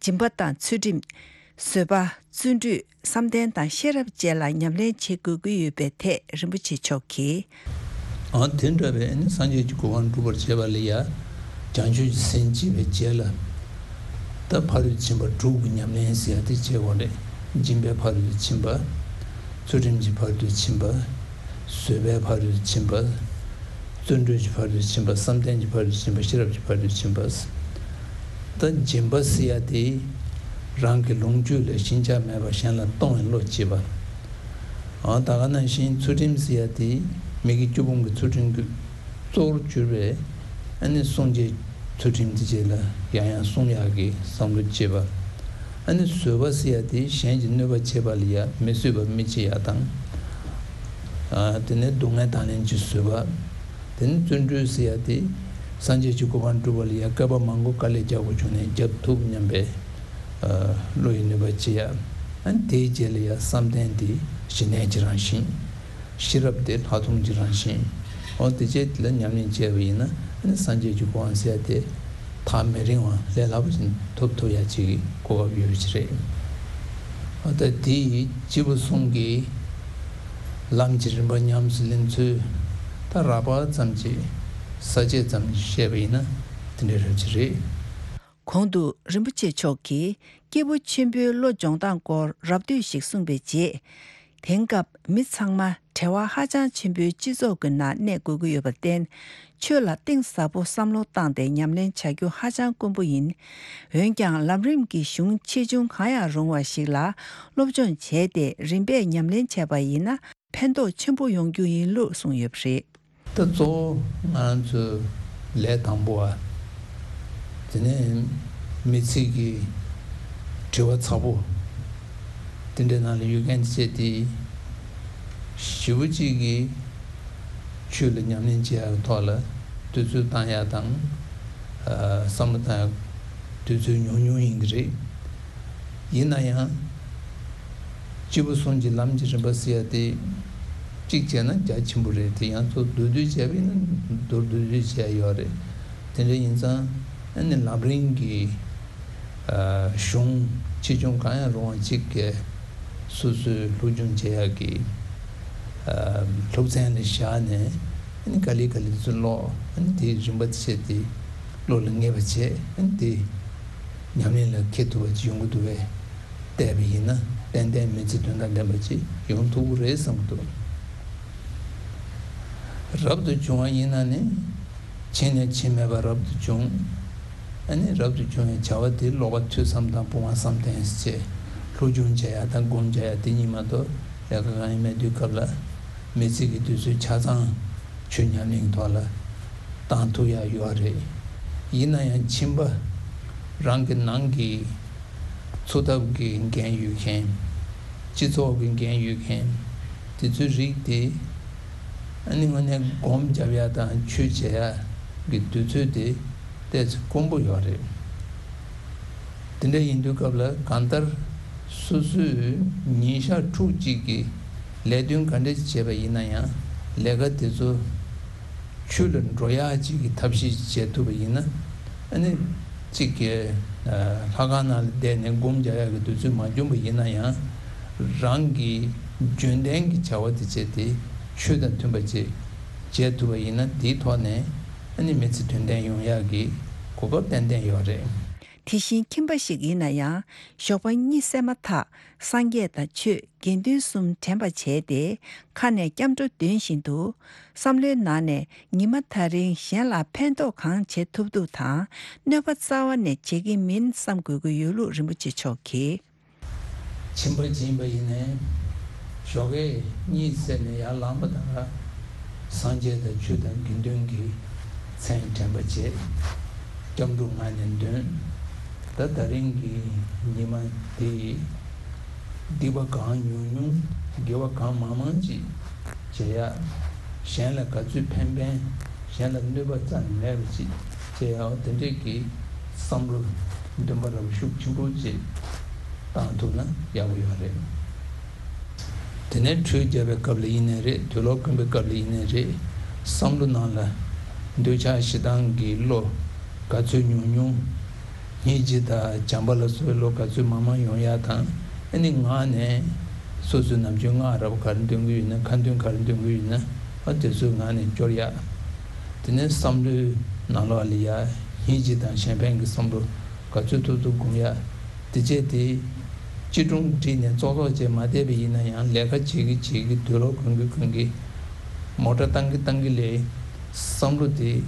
སྦྱིན་པ་དང་ཚུལ་ཁྲིམས། བཟོད་པ། བརྩོན་འགྲུས། བསམ་གཏན་དང་ཤེས་རབ་བཅས་ལ་ཉམས་ལེན་བྱེད་དགོས་ཀྱི་ཡོད་པའི་ཐད་རིན་པོ་ཆེ་མཆོག་གིས། ཨ། དེ་འདྲ་བའི་ནི་སངས་རྒྱས་ཀྱི་གོ་འཕང་སྒྲུབ་པར་བྱེད་པ་ལ་ཡ། བྱང་ཆུབ་ཀྱི་སེམས་བསྐྱེད་པའི་རྗེས་ལ། ད་ཕ་རོལ་ཏུ་ཕྱིན་པ་དྲུག་གི་ཉམས་ལེན་ཟེར་ཡ་དེ་བྱེད་དགོས་རེད། སྦྱིན་པའི་ཕ་རོལ་ཏུ་ཕྱིན་པ། ཚུལ་ཁྲིམས་ཀྱི་ཕ་རོལ་ཏུ་ཕྱིན་པ། བཟོད་པའི་ཕ་རོལ་ཏུ་ཕྱིན་པ། བརྩོན་འགྲུས་ཀྱི་ཕ་རོལ་ཏུ་ཕྱིན་པ། བསམ་གཏན་གྱི་ཕ་རོལ་ཏུ་ཕྱིན་པ། ཤེས་རབ་ཀྱི་ཕ་རོལ་ཏུ་ཕྱིན་པ། ད་སྦྱིན་པ་ཟེར་ཡ་དེ་རང་གི་ལོངས་སྤྱོད་ལས་ཕྱིན་ཆད་མེད་པར་གཞན་ལ་གཏོང་བའི་བློ་སྐྱེས་པ། ཨ། ད་ག་ནང་བཞིན་ཚུལ་ཁྲིམས་ཟེར་ཡ་དེ་མི་དགེ་བཅུ་སྤོང་གི་ཚུལ་ཁྲིམས་ཀྱི་གཙོ་བོར་གྱུར་པའི་ཨ་ནི་སྲུང་བྱའི་ཚུལ་ཁྲིམས་དེ་རྗེས་ལ་ཡང་ཡང་སྲུང་ཡག་གི་བསམ་བློ་བསྐྱེད་པ། ཨ་ནི་བཟོད་པ་ཟེར་ཡ་དེ་གཞན་གྱི་གནོད་པ་བྱེད་པ་ལ་ཡ་མི་བཟོད་པ་མི་བྱེད་ཡ་དང་། ཨ། དེ་ནས་སྡུག་བསྔལ་དང་ལེན་གྱི་བཟོད་པ། དེ་ནས་བརྩོན་འགྲུས་ཟེར་ཡ་དེ་སངས་རྒྱས་ཀྱི་གོ་འཕང་སྒྲུབ་པ་ལ་ཡ་བསྐལ་པ་མང་པོ་དཀའ་ལས་རྒྱག་དགོས་བྱུང་ནས་རྒྱག་ཐུབ་སྙམ་པའི་ཨ་བློ་ཡི་ནུས་པ་བྱེད་ཡ། ཨ་ནི་དེའི་རྗེས་ལ་ཡ་བསམ་གཏན་དེ་ཞི་གནས་ཀྱི་རང་བཞིན། ཤེས་རབ་དེ་ལྷག་མཐོང་གི་རང་བཞིན། འོ་དེ་བཅས་དེ་ལ་ཉམས་ལེན་བྱས་པ་ཡིན་ན་ཨ་ནི་སངས་རྒྱས་ཀྱི་གོ་འཕང་ཟེར་ཡ་དེ་ཐག་མི་རིང་བ་ལས་སླ་པོ་ཞིག་ཐོབ་ཐུབ་ཡ་ཅིག་གི་གོ་སྐབས་ཡོད་པ་ཅིག་རེད། འོ་ད་དེ་ཡི་སྐྱེས་བུ་གསུམ་གྱི་ལམ་གྱི་རིམ་པ་ཉམས་སུ་ལེན་ཚུལ་ད་རགས་པ་ཙམ་གྱིས་ས་བཅད་ཙམ་གྱིས་བཤད་པ་ཡིན་ན་དེ་འདྲའི་རབ་ཅིག་རེད། གོང་དུ་རིན་པོ་ཆེ་མཆོག་གིས་སྐྱེས་བུ་ཆེན་པོའི་བློ་སྦྱོང་སྟངས་སྐོར་རབ་བསྡུས་ཤིག་གསུངས་པའི་རྗེས། དེང་སྐབས་མི་ཚང་མ་བྲེལ་བ་ཧ་ཅང་ཆེན་པོའི་སྤྱི་ཚོགས་ཀྱི་ནང་གནས་དགོས་ཀྱི་ཡོད་པར་བརྟེན། ཆོས་ལ་གཏིང་ཟབ་པོ་བསམ་བློ་བཏང་སྟེ་ཉམས་ལེན་བྱ་རྒྱུ་ཧ་ཅང་དཀོན་པོ་ཡིན། འོན་ཀྱང་ལམ་རིམ་གྱི་གཞུང་ཆེ་ཆུང་གང་ཡང་རུང་བ་ཞིག་ལ་སློབ་སྦྱོང་བྱས་ཏེ་རིམ་པས་ཉམས་ལེན་བྱས་པ་ཡིན་ན། ཕན་ཐོགས་ཆེན་པོ་ཡོང་རྒྱུ་ཡིན་ལུགས་གསུངས་ཡོད་པ་རེད། ད་གཙོ་བོ་ང་རང་ཚོའི་ལས་དང་པོ་བ། དེ་ནས་མི་ཚེ་གི་དྲི་བ་ཚ་པོ། དེ་འདྲའི་ནང་ལ་ཡོད་མཁན་བཅས་དེ། ཞེ་པོ་ཅིག་གིས་ཆོས་ལ་ཉམས་ལེན་བྱེད་ཡག་གི་ཐོག་ལ་དུས་ཚོད་བཏང་ཡག་དང་། ཨ། བསམ་བློ་བཏང་ཡག་དུས་ཚོད་ཉུང་ཉུང་ཡིན་གྱི་རེད། ཡིན་ན་ཡང་། སྐྱེས་བུ་གསུམ་གྱི་ལམ་གྱི་རིམ་པ་ཟེར་ཡ་དེ། གཅིག་བྱས་ན་རྒྱ་ཆེན་པོ་རེད་དེ་ཡང་ཚུར་མདོར་བསྡུས་བྱས་པ་ཡིན་ན་མདོར་བསྡུས་བྱས་ཡོད་རེད། དེ་འདྲ་ཡིན་ཙང་ཨ་ནི་ལམ་རིམ་གྱི་ཨ་གཞུང་ཆེ་ཆུང་གང་ཡང་རུང་བ་གཅིག་གིས་སོ་སོའི་སློབ་སྦྱོང་བྱེད་ཡག་གི་ཨ་སློབ་ཚན་ལ་བཞག་ནས་ཨ་ནི་ག་ལེ་ག་ལེ་ཚུར་ཀློག་ཨ་ནི་དེའི་རིམ་པ་བྱས་ཏེ་བློ་ལ་ངེས་པ་བྱས་ཨ་ནི་དེ་ཉམས་ལེན་ལ་འཁེལ་ཐུབ་པ་ཅིག་ཡོང་གི་འདུག་པས། བལྟས་པ་ཡིན་ན་ཏན་ཏན་མི་ཚེ་དོན་དང་ལྡན་པ་ཅིག་ཡོང་ཐུབ་ཀྱི་རེད་བསམ་གྱི་འདུག་རབ་ཏུ་བྱུང་བ་ཡིན་ན་ནི། ཕྱིན་ནས་ཕྱིན་མེད་པར་རབ་ཏུ་བྱུང་། ཨ་ནི་རབ་ཏུ་བྱུང་བའི་བྱ་བ་དེ་ཀློག་པ་ཐོས་བསམ་དང་སྤོང་བ་བསམ་གཏན་བྱས། སློབ་སྦྱོང་བྱེད་ཡ་དང་སྒོམ་བྱེད་ཡ་དེ་གཉིས་མ་གཏོགས་ལས་ཀ་གང་ཡང་མེད་དུས་སྐབས་ལ། མི་ཚེ་གི་དུས་ཚོད་ཆ་ཚང་ཆོས་ཉམས་ལེན་གྱི་ཐོག་ལ་བཏང་ཐུབ་ཡ་ཡོད་རེད། ཡིན་ན་ཡང་ཁྱིམ་པ་རང་གི་ནང་གི་འཚོ་ཐབས་ཀྱི་འགན་ཡོད་མཁན། སྤྱི་ཚོགས་ཀྱི་འགན་ཡོད་མཁན། དེ་ཚོའི་རིགས་དེ། ཨ་ནི་དངོས་གནས་སྒོམ་རྒྱབ་ཡ་དང་ཆོས་བྱེད་ཡ་གི་དུས་ཚོད་དེ་ཏོག་ཙམ་དཀོན་པོ་ཡོད་རེད། དེ་འདྲ་ཡིན་དུས་སྐབས་ལ་གང་ལྟར་སོ་སོས་ཉིན་ཞག་ཕྲུགས་གཅིག་གི་ལས་དོན་ག་འདྲ་ཞིག་བྱས་པ་ཡིན་ན་ཡང་ལས་ཀ་དེ་ཚོ། ཆོས་ལ་འགྲོ་ཡག་ཅིག་གི་ཐབས་ཤེས་ཤིག་བྱེད་ཐུབ་པ་ཡིན་ན། ཨ་ནི། གཅིག་གི་ལྷ་ཁང་ནང་ལ་བསྡད་ནས་སྒོམ་རྒྱག་ཡག་གི་དུས་ཚོད་མ་བྱུང་བ་ཡིན་ན་ཡང་། རང་གི་རྒྱུན་ལྡན་གྱི་བྱ་བ་དེ་བྱས་ཏེ་ཆོས་དང་མཐུན་པ་ཅིག་བྱེད་ཐུབ་པ་ཡིན་ན་དེའི་ཐོག་ནས་ཨ་ནི་མི་ཚེ་དོན་ལྡན་ཡོང་ཡག་གི་གོ་སྐབས་ཏན་ཏན་ཡོད་རེད། དེ་བཞིན་ཁྱིམ་པ་ཞིག་ཡིན་ན་ཡང་ཞོགས་པ་གཉིད་སད་མ་ཐག་སངས་རྒྱས་དང་ཆོས། དགེ་འདུན་གསུམ་དྲན་པ་བྱས་ཏེ་ཁ་ནས་སྐྱབས་འགྲོ་འདོན་བཞིན་དུ་བསམ་བློའི་ནང་ནས་ཉི་མ་ད་རིང་གཞན་ལ་ཕན་ཐོགས་གང་བྱེད་ཐུབ་ཐུབ་དང་གནོད་པ་རྩ་བ་ནས་བྱེད་ཀྱི་མིན་བསམ་དགོས་ཀྱི་ཡོད་ལུགས་རིན་པོ་ཆེ་མཆོག་གིས། ཁྱིམ་པ་ཡིན་པ་ཡིན་ནའི་ཞོགས་ཀས་གཉིད་སད་ནས་ཡར་ལངས་པ་དང་། སངས་རྒྱས་དང་ཆོས་དང་དགེ་འདུན་གྱི་མཚན་དྲན་པ་བྱེད། སྐྱབས་འགྲོ་ངག་ནས་འདོན། ད་ད་རིང་གི་ཉི་མ་འདི་སྡིག་པ་གང་ཉུང་ཉུང་དགེ་བ་གང་མང་མང་ཅིག་བྱེད་ཡ། གཞན་ལ་ག་ཚོད་ཕན་ཕན། གཞན་ལ་གནོད་པ་རྩ་ནས་མེད་པ་ཅིག་བྱེད་ཡ་དེ་འདྲས་ཀྱི་བསམ་བློ་འདུན་པ་རབ་ཤུགས་ཆེན་པོ་ཅིག་བཏང་ཐུབ་ན་ཡག་པོ་ཡོད་རེད། དེ་ནས་ཁྲུས་རྒྱབ་པའི་སྐབས་ལ་ཡིན་ནའི་རེད། དུག་ལོག་འཁོན་པའི་སྐབས་ལ་ཡིན་ནའི་རེད། བསམ་བློ་ནང་ལ་འདོད་ཆགས་ཞེ་སྡང་གི་བློ་ག་ཚོད་ཉུང་ཉུང་ སྙིང་རྗེ་དང་བྱམས་པ་ལ་སོགས་བློ་ག་ཚོད་མང་མང་ཡོང་ཡག་དང་། ཨ་ནི་ངག་ནས་སོ་སོའི་ནམ་རྒྱུན་སྔགས་རབ་ག་རེ་འདོན་གྱི་ཡོད་ན། ཁ་འདོན་ག་རེ་འདོན་གྱི་ཡོད་ན། ཨ་དེ་ཚོའི་ངག་ནས་སྐྱོར་ཡག་དེ་ནས་བསམ་བློའི་ནང་ལོགས་ལ་ཡ་སྙིང་རྗེ་དང་གཞན་ཕན་གྱི་བསམ་བློ་ག་ཚོད་ཐུབ་ཐུབ་སྒོམ་ཡག་དེ་བྱས་ཏེ། སྐྱིལ་ཀྲུང་བསྒྲིགས་ནས་ཙོག་ཙོག་བྱས་མ་བསྡད་པ་ཡིན་ན་ཡང་། ལས་ཀ་བྱེད་ཀྱི་བྱེད་ཀྱི། དུག་ལོག་གོན་གྱི་གོན་གྱི། མོ་ཊ་བཏང་གི་བཏང་གི་ལས། བསམ་བློ་དེ་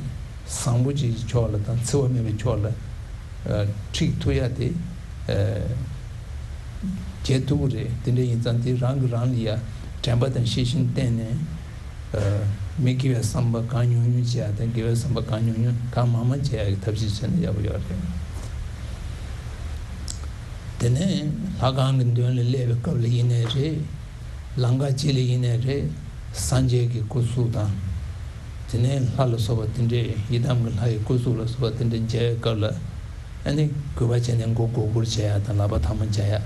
བཟང་པོ་ཅིག་གི་ཕྱོགས་ལ་དང་འཚེ་བ་མེད་པའི་ཕྱོགས་ལ་ཁྲིད་ཐུབ་ཡག་དེ་བྱེད་ཐུབ་ཀྱི་རེད། དེ་འདྲ་ཡིན་ཙང་དེ་རང་གིས་རང་ལ་ཡ་དྲན་པ་དང་ཤེས་བཞིན་བསྟེན་ནས། མི་དགེ་བའི་བསམ་པ་གང་ཉུང་ཉུང་བྱེད་ཡག་དང་། དགེ་བའི་བསམ་པ་གང་ཉུང་ཉུང་གང་མང་མང་བྱེད་ཡག་གི་ཐབས་ཤེས་བྱས་ན་ཡག་པོ་ཡོད་རེད། དེ་ནས་ལྷ་ཁང་གི་མདུན་ལ་སླེབས་པའི་སྐབས་ལ་ཡིན་ནའི་རེད། ལམ་ཁ་ཅིག་ལ་ཡིན་ནའི་རེད། སངས་རྒྱས་ཀྱི་སྐུ་གཟུགས་དང་། དེ་ནས་ལྷ་ལ་སོགས་པ་དེ་འདྲས། ཡི་དམ་གྱི་ལྷ་ཡི་སྐུ་གཟུགས་ལ་སོགས་པ་དེ་འདྲས་མཇལ་བའི་སྐབས་ལ། ཨ་ནི་གུས་པ་བྱས་ནས་མགོ་སྒུར་སྒུར་བྱེད་ཡག་དང་། ལག་པ་ཐལ་མོ་སྦྱར་ཡག་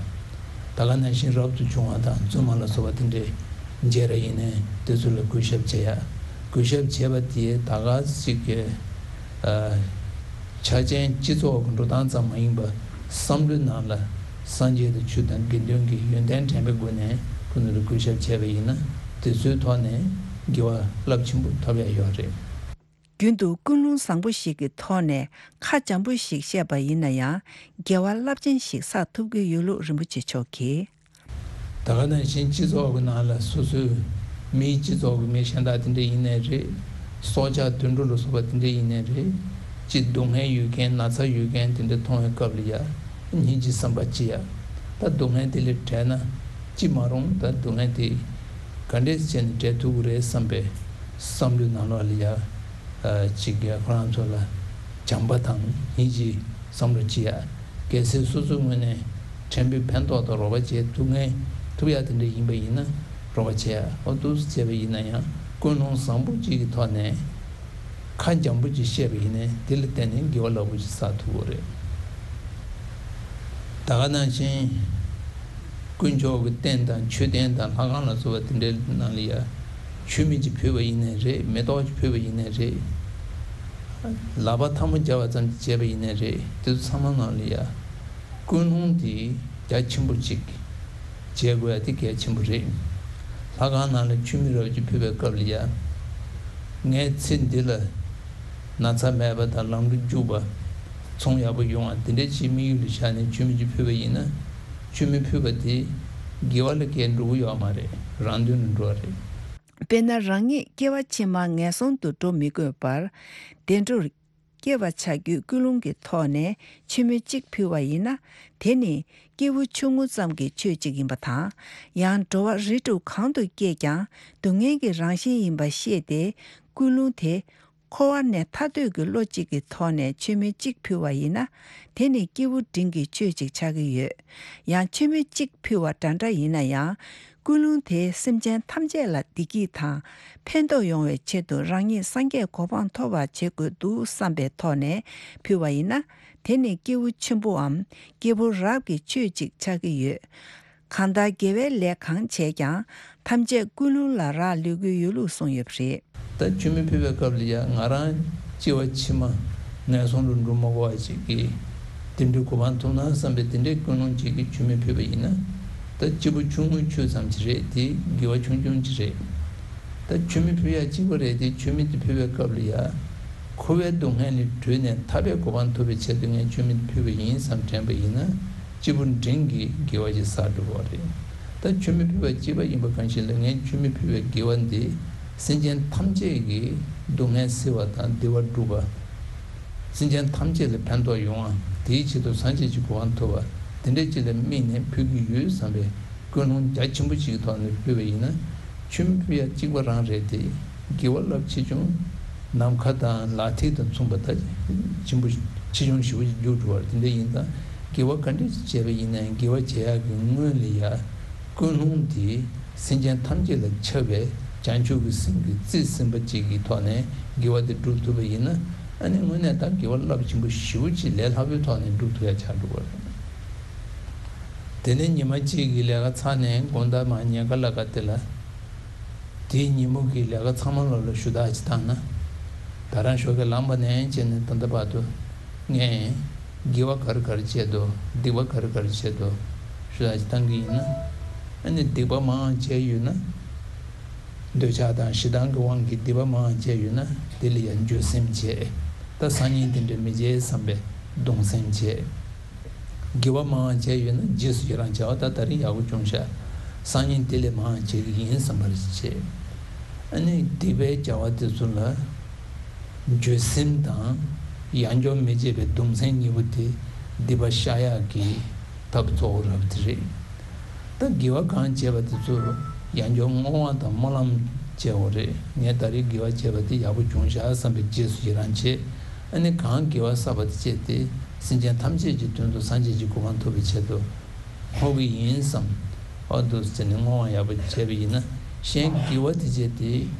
ད་ག་ནང་བཞིན་རབ་ཏུ་བྱུང་བ་དང་བཙུན་མ་ལ་སོགས་པ་དེ་འདྲས་མཇལ་ར་ཡིན་ནའི་དེ་ཚོ་ལ་གུས་ཞབས་བྱེད་ཡག་གུས་ཞབས་བྱེད་པ་དེ་ད་ག་ཅིག་གི་ཨ་ཆ་ཅན་སྤྱི་ཚོགས་ཀྱི་འགྲོ་སྟངས་ཙམ་མ་ཡིན་པར། བསམ་བློའི་ནང་ལ་སངས་རྒྱས་དང་ཆོས་དང་དགེ་འདུན་གྱི་ཡོན་ཏན་དྲན་པའི་སྒོ་ནས་ཁོ་ཚོ་ལ་གུས་ཞབས་བྱས་པ་ཡིན་ན། དེ་ཚོའི་ཐོག་ནས་དགེ་བ་རླབས་ཆེན་པོ་ཐོབ་ཡག་ཡོད་རེད། རྒྱུན་དུ་ཀུན་སློང་བཟང་པོ་ཞིག་གི་ཐོག་ནས་ཁ་འཇམ་པོ་ཞིག་བཤད་པ་ཡིན་ན་ཡང་། དགེ་བ་རླབས་ཆེན་ཞིག་བསགས་ཐུབ་ཀྱི་ཡོད་ལུགས་རིན་པོ་ཆེ་མཆོག་གིས། ད་ག་ནང་བཞིན་སྤྱི་ཚོགས་ཀྱི་ནང་ལ་སོ་སོའི་མིའི་སྤྱི་ཚོགས་ཀྱི་མི་གཞན་དག་དེ་འདྲ་ཡིན་ནའི་རེད། སྲོག་ཆགས་དུད་འགྲོ་ལ་སོགས་པ་དེ་འདྲ་ཡིན་ནའི་རེད། ཅིག་སྡུག་བསྔལ་ཡོད་མཁན། ན་ཚ་ཡོད་མཁན་དེ་འདྲ་མཐོང་བའི་སྐབས་ལ་ཡ་སྙིང་རྗེ་བསམ་པ་སྐྱེ་ཡ། ད་སྡུག་བསྔལ་དེ་ལས་བྲལ་ན། ཅི་མ་རུང་ད་སྡུག་བསྔལ་དེ་ག་འདྲས་བྱས་ནས་བྲལ་ཐུབ་ཀྱི་རེད་བསམ་པའི་བསམ་བློའི་ནང་ལོགས་ལ་ཡ། ཅིག་ཁོ་རང་ཚོ་ལ་བྱམས་པ་དང་སྙིང་རྗེའི་བསམ་བློ་སྐྱེ་ཡ། གལ་སྲིད་སོ་སོའི་ངོས་ནས་ཕྲན་བུའི་ཕན་ཐོགས་དང་རོགས་པ་བྱེད་ཐུབ་མཁན། ཐུབ་ཡ་དེ་འདྲ་ཡིན་པ་ཡིན་ན་རོགས་པ་བྱེད་ཡ། འོ་འདུག་སེ་བྱས་པ་ཡིན་ན་ཡང་ཀུན་སློང་བཟང་པོ་གཅིག་གི་ཐོག་ནས་ཁ་འཇམ་པོ་གཅིག་བཤད་པ་ཡིན་ནའི་དེ་ལ་བརྟེན་ནས་དགེ་བ་རླབས་པོ་ཆེ་བསགས་ཐུབ་ཀྱི་རེད། ད་ག་ནང་བཞིན་དཀོན་མཆོག་གི་རྟེན་དང་མཆོད་རྟེན་དང་ལྷ་ཁང་ལ་སོགས་པ་དེ་འདྲའི་ནང་ལ་ཡ་མཆོད་མེ་གཅིག་ཕུལ་བ་ཡིན་ནའི་རེད། མེ་ཏོག་གཅིག་ཕུལ་བ་ཡིན་ནའི་རེད། ལག་པ་ཐལ་མོ་སྦྱར་བ་ཙམ་གཅིག་བྱས་པ་ཡིན་ནའི་རེད། དེ་ཚོ་ཚང་མ་ནང་ལ་ཡ་ཀུན་སློང་དེ་རྒྱ་ཆེན་པོ་གཅིག་བྱེད་དགོས་ཡ་དེ་གལ་ཆེན་པོ་རེད། ལྷ་ཁང་ནང་ལ་མཆོད་མེ་རབ་ཅིག་ཕུལ་བའི་སྐབས་ལ་ཡ། ངའི་ཚེ་འདི་ལ་ན་ཚ་མེད་པ་དང་། ལམ་འགྲོ་རྒྱུག་པ། ཚོང་ཡག་པོ་ཡོང་བ། དེ་འདྲ་ཅིག་དམིགས་ཡུལ་ལ་བཞག་ནས་མཆོད་མེ་ཅིག་ཕུལ་བ་ཡིན་ན། མཆོད་མེ་ཕུལ་བ་དེ་དགེ་བ་ལ་སྐྱེལ་འགྲོ་གི་ཡོད་མ་རེད། རང་དོན་ལ་འགྲོ་བ་རེད། དཔེར་ན། རང་ཉིད་སྐྱེ་བ་ཕྱི་མ་ངན་སོང་དུ་འགྲོ་མི་དགོས་པར། བདེ་འགྲོར་སྐྱེ་བར་བྱ་རྒྱུའི་ཀུན་སློང་གི་ཐོག་ནས་མཆོད་མེ་གཅིག་ཕུལ་བ་ཡིན་ན། དེ་ནི་སྐྱེས་བུ་ཆུང་ངུ་ཙམ་གྱི་ཆོས་གཅིག་ཡིན་པ་དང་། ཡང་འགྲོ་བ་རིགས་དྲུག་གང་དུ་སྐྱེས་ཀྱང་སྡུག་བསྔལ་གྱི་རང་བཞིན་ཡིན་པ་ཤེས་ཏེ། ཀུན་སློང་དེ་འཁོར་བ་ནས་ཐར་འདོད་ཀྱི་བློ་གཅིག་གི་ཐོག་ནས་མཆོད་མེ་གཅིག་ཕུལ་བ་ཡིན་ན། དེ་ནི་སྐྱེས་བུ་འབྲིང་གི་ཆོས་གཅིག་ཆགས་ཀྱི་ཡོད། ཡང་མཆོད་མེ་གཅིག་ཕུལ་བ་འདྲ་འདྲ་ཡིན་ན་ཡང་། ཀུན་སློང་དེ་སེམས་ཅན་ཐམས་ཅད་ལ་བདེ་སྐྱིད་དང་ཕན་ཐོགས་ཡོང་བའི་ཆེད་དུ་རང་ཉིད་སངས་རྒྱས་གོ་འཕང་ཐོབ་པར་བྱེད་དགོས་འདུག་བསམ་པའི་ཐོག་ནས་ཕུལ་བ་ཡིན་ན། དེ་ནི་སྐྱེས་བུ་ཆེན་པོའམ་སྐྱེས་བུ་རབ་ཀྱི་ཆོས་གཅིག་ཆགས་ཀྱི་ཡོད། གང་ལྟར་དགེ་བའི་ལས་གང་བྱས་ཀྱང་ཐམས་ཅད་ཀུན་སློང་ལ་རག་ལུས་ཀྱི་ཡོད་ལུགས་གསུངས་ཡོད་པ་རེད། ད་མཆོད་མེ་ཕུལ་བའི་སྐབས་ལ་ཡང་ང་རང་སྐྱེ་བ་ཕྱི་མ་ངན་སོང་དུ་འགྲོ་མ་དགོས་པ་ཅིག་གི་དེ་འདྲའི་གོ་འཕང་ཐོབ་ན་བསམ་པའི་དེ་འདྲའི་ཀུན་སློང་ཅིག་གིས་མཆོད་མེ་ཕུལ་བ་ཡིན་ན། ད་སྐྱེས་བུ་ཆུང་ངུའི་ཆོས་ཙམ་ཅིག་རེད། དེ་དགེ་བ་ཆུང་ཆུང་ཅིག་རེད། ད་མཆོད་མེ་ཕུལ་ཡ་གཅིག་པ་རེད་དེ། མཆོད་མེ་དེ་ཕུལ་བའི་སྐབས་ལ་ཡ། འཁོར་བའི་སྡུག་བསྔལ་ལས་གྲོལ་ནས་ཐར་པའི་གོ་འཕང་ཐོབ་པའི་ཆེད་དུ་ངས་མཆོད་མེ་དེ་ཕུལ་བ་ཡིན་བསམ་དྲན་པ་ཡིན་ན། སྐྱེས་བུ་འབྲིང་གི་དགེ་བ་ཞིག་བསགས་འགྲོ་བ་རེད། ད་མཆོད་མེ་ཕུལ་བ་གཅིག་པ་ཡིན་པ་གང་ཞིག་ལ། ངས་མཆོད་མེ་ཕུལ་བའི་དགེ་བ་འདི་སེམས་ཅན་ཐམས་ཅད་ཀྱི་སྡུག་བསྔལ་སེལ་བ་དང་བདེ་བ་སྒྲུབ་པ། སེམས་ཅན་ཐམས་ཅད་ལ་ཕན་ཐོགས་ཡོང་བ། དེའི་ཆེད་དུ་སངས་རྒྱས་ཀྱི་གོ་འཕང་ཐོབ་པ། དེ་འདྲ་ཅིག་ལ་དམིགས་ནས་ཕུལ་གྱི་ཡོད་བསམ་པའི་ཀུན་སློང་རྒྱ་ཆེན་པོ་ཞིག་གི་ཐོག་ནས་ཕུལ་བ་ཡིན་ན། མཆོད་མེ་ཕུལ་ཡ་གཅིག་པ་རང་རེད་དེ། དགེ་བ་རླབས་ཆེ་ཆུང་། ནམ་མཁའ་དང་ལག་མཐིལ་དང་མཚུངས་པ་ལྟར་ཆེན་པོ་ཆེ་ཆུང་ཞེ་པོ་ཅིག་འཇུག་འགྲོ་བ་རེད། དེ་འདྲ་ཡིན་ཙང་དགེ་བ་ག་འདྲ་ཞིག་བྱས་པ་ཡིན་ནའང་དགེ་བ་བྱེད་ཡག་གི་སྔོན་ལ་ཡ། ཀུན་སློང་དེ་སེམས་ཅན་ཐམས་ཅད་ལ་ཁྱབ་པའི་བྱང་ཆུབ་ཀྱི་སེམས་ཀྱིས་རྩིས་ཟིན་པ་ཅིག་གི་ཐོག་ནས་དགེ་བ་དེ་སྒྲུབ་ཐུབ་པ་ཡིན་ན། ཨ་ནི་དངོས་གནས་ད་དགེ་བ་རླབས་ཆེན་པོ་ཞེ་པོ་ཅིག་ལས་སླ་པོའི་ཐོག་ནས་སྒྲུབ་ཐུབ་ཡ་ཆགས་འགྲོ་བ་རེད། དེ་ནས་ཉི་མ་གཅིག་གི་ལས་ཀ་ཚར་ནས་དགོང་དག་མར་ཉལ་ཁ་ལ་ཁ་དེ་ལ། དེའི་ཉིན་མོ་གི་ལས་ཀ་ཚང་མ་ལོག་ལ་ཞུ་དག་ཅིག་བཏང་ན། ད་རང་ཞོགས་ཀས་ལངས་པ་ནས་བྱས་ནས་ད་ལྟ་བར་དུ་ངས་ དགེ་བ་ག་རེ་ག་རེ་བྱས་འདུག་སྡིག་པ་ག་རེ་ག་རེ་བྱས་འདུག་ཞུ་ཡག་ཅིག་བཏང་གི་ཡིན་ན། ཨ་ནི་སྡིག་པ་མང་བྱས་ཡོད་ན། འདོད་ཆགས་དང་ཞེ་སྡང་གི་དབང་གིས་སྡིག་པ་མང་བྱས་ཡོད་ན། དེ་ལ་ཡང་འགྱོད་སེམས་བྱས། ད་སང་ཉིན་དེ་འདྲ་མི་བྱེད་བསམ་པའི་གདུང་སེམས་བྱས། དགེ་བ་མང་བྱས་ཡོད་ན་རྗེས་སུ་ཡི་རང་བྱས་པ། ད་ད་རིང་ཡག་པོ་བྱུང་ཤག་སང་ཉིན་དེ་ལས་མང་བྱེད་ཀྱི་ཡིན་བསམ་པ་བྱས། ཨ་ནི་སྡིག་པའི་བྱ་བ་དེ་ཚོ་ལ་འགྱོད་སེམས་དང་ཡང་སྐྱོར་མི་བྱེད་པའི་གདུང་སེམས་གཉིས་པོ་དེ་སྡིག་པ་བཤགས་ཡག་གི་ཐབས་གཙོ་བོ་རབ་དེ་རེད། ད་དགེ་བ་གང་བྱས་པ་དེ་ཚོ་ཡང་སྐྱོར་བསྔོ་བ་དང་སྨོན་ལམ་བྱས་པ་རེད། ངས་ད་རེས་དགེ་བ་བྱས་པ་དེ་ཡག་པོ་བྱུང་ཤག་བསམ་པའི་རྗེས་སུ་ཡི་རང་བྱས། ཨ་ནི་གང་དགེ་བ་བསགས་པ་དེ་བྱས་ཏེ་སེམས་ཅན་ཐམས་ཅད་ཀྱི་དོན་དུ་སངས་རྒྱས་ཀྱི་གོ་འཕང་ཐོབ་པའི་ཆེད་དུ་བསྔོ་གི་ཡིན་བསམ། འོ་འདུག་ཟེར་ནས་བསྔོ་བ་ཡག་པོ་བྱས་པ་ཡིན་ན། གཞན་དགེ་བ་དེ་བྱས་ཏེ་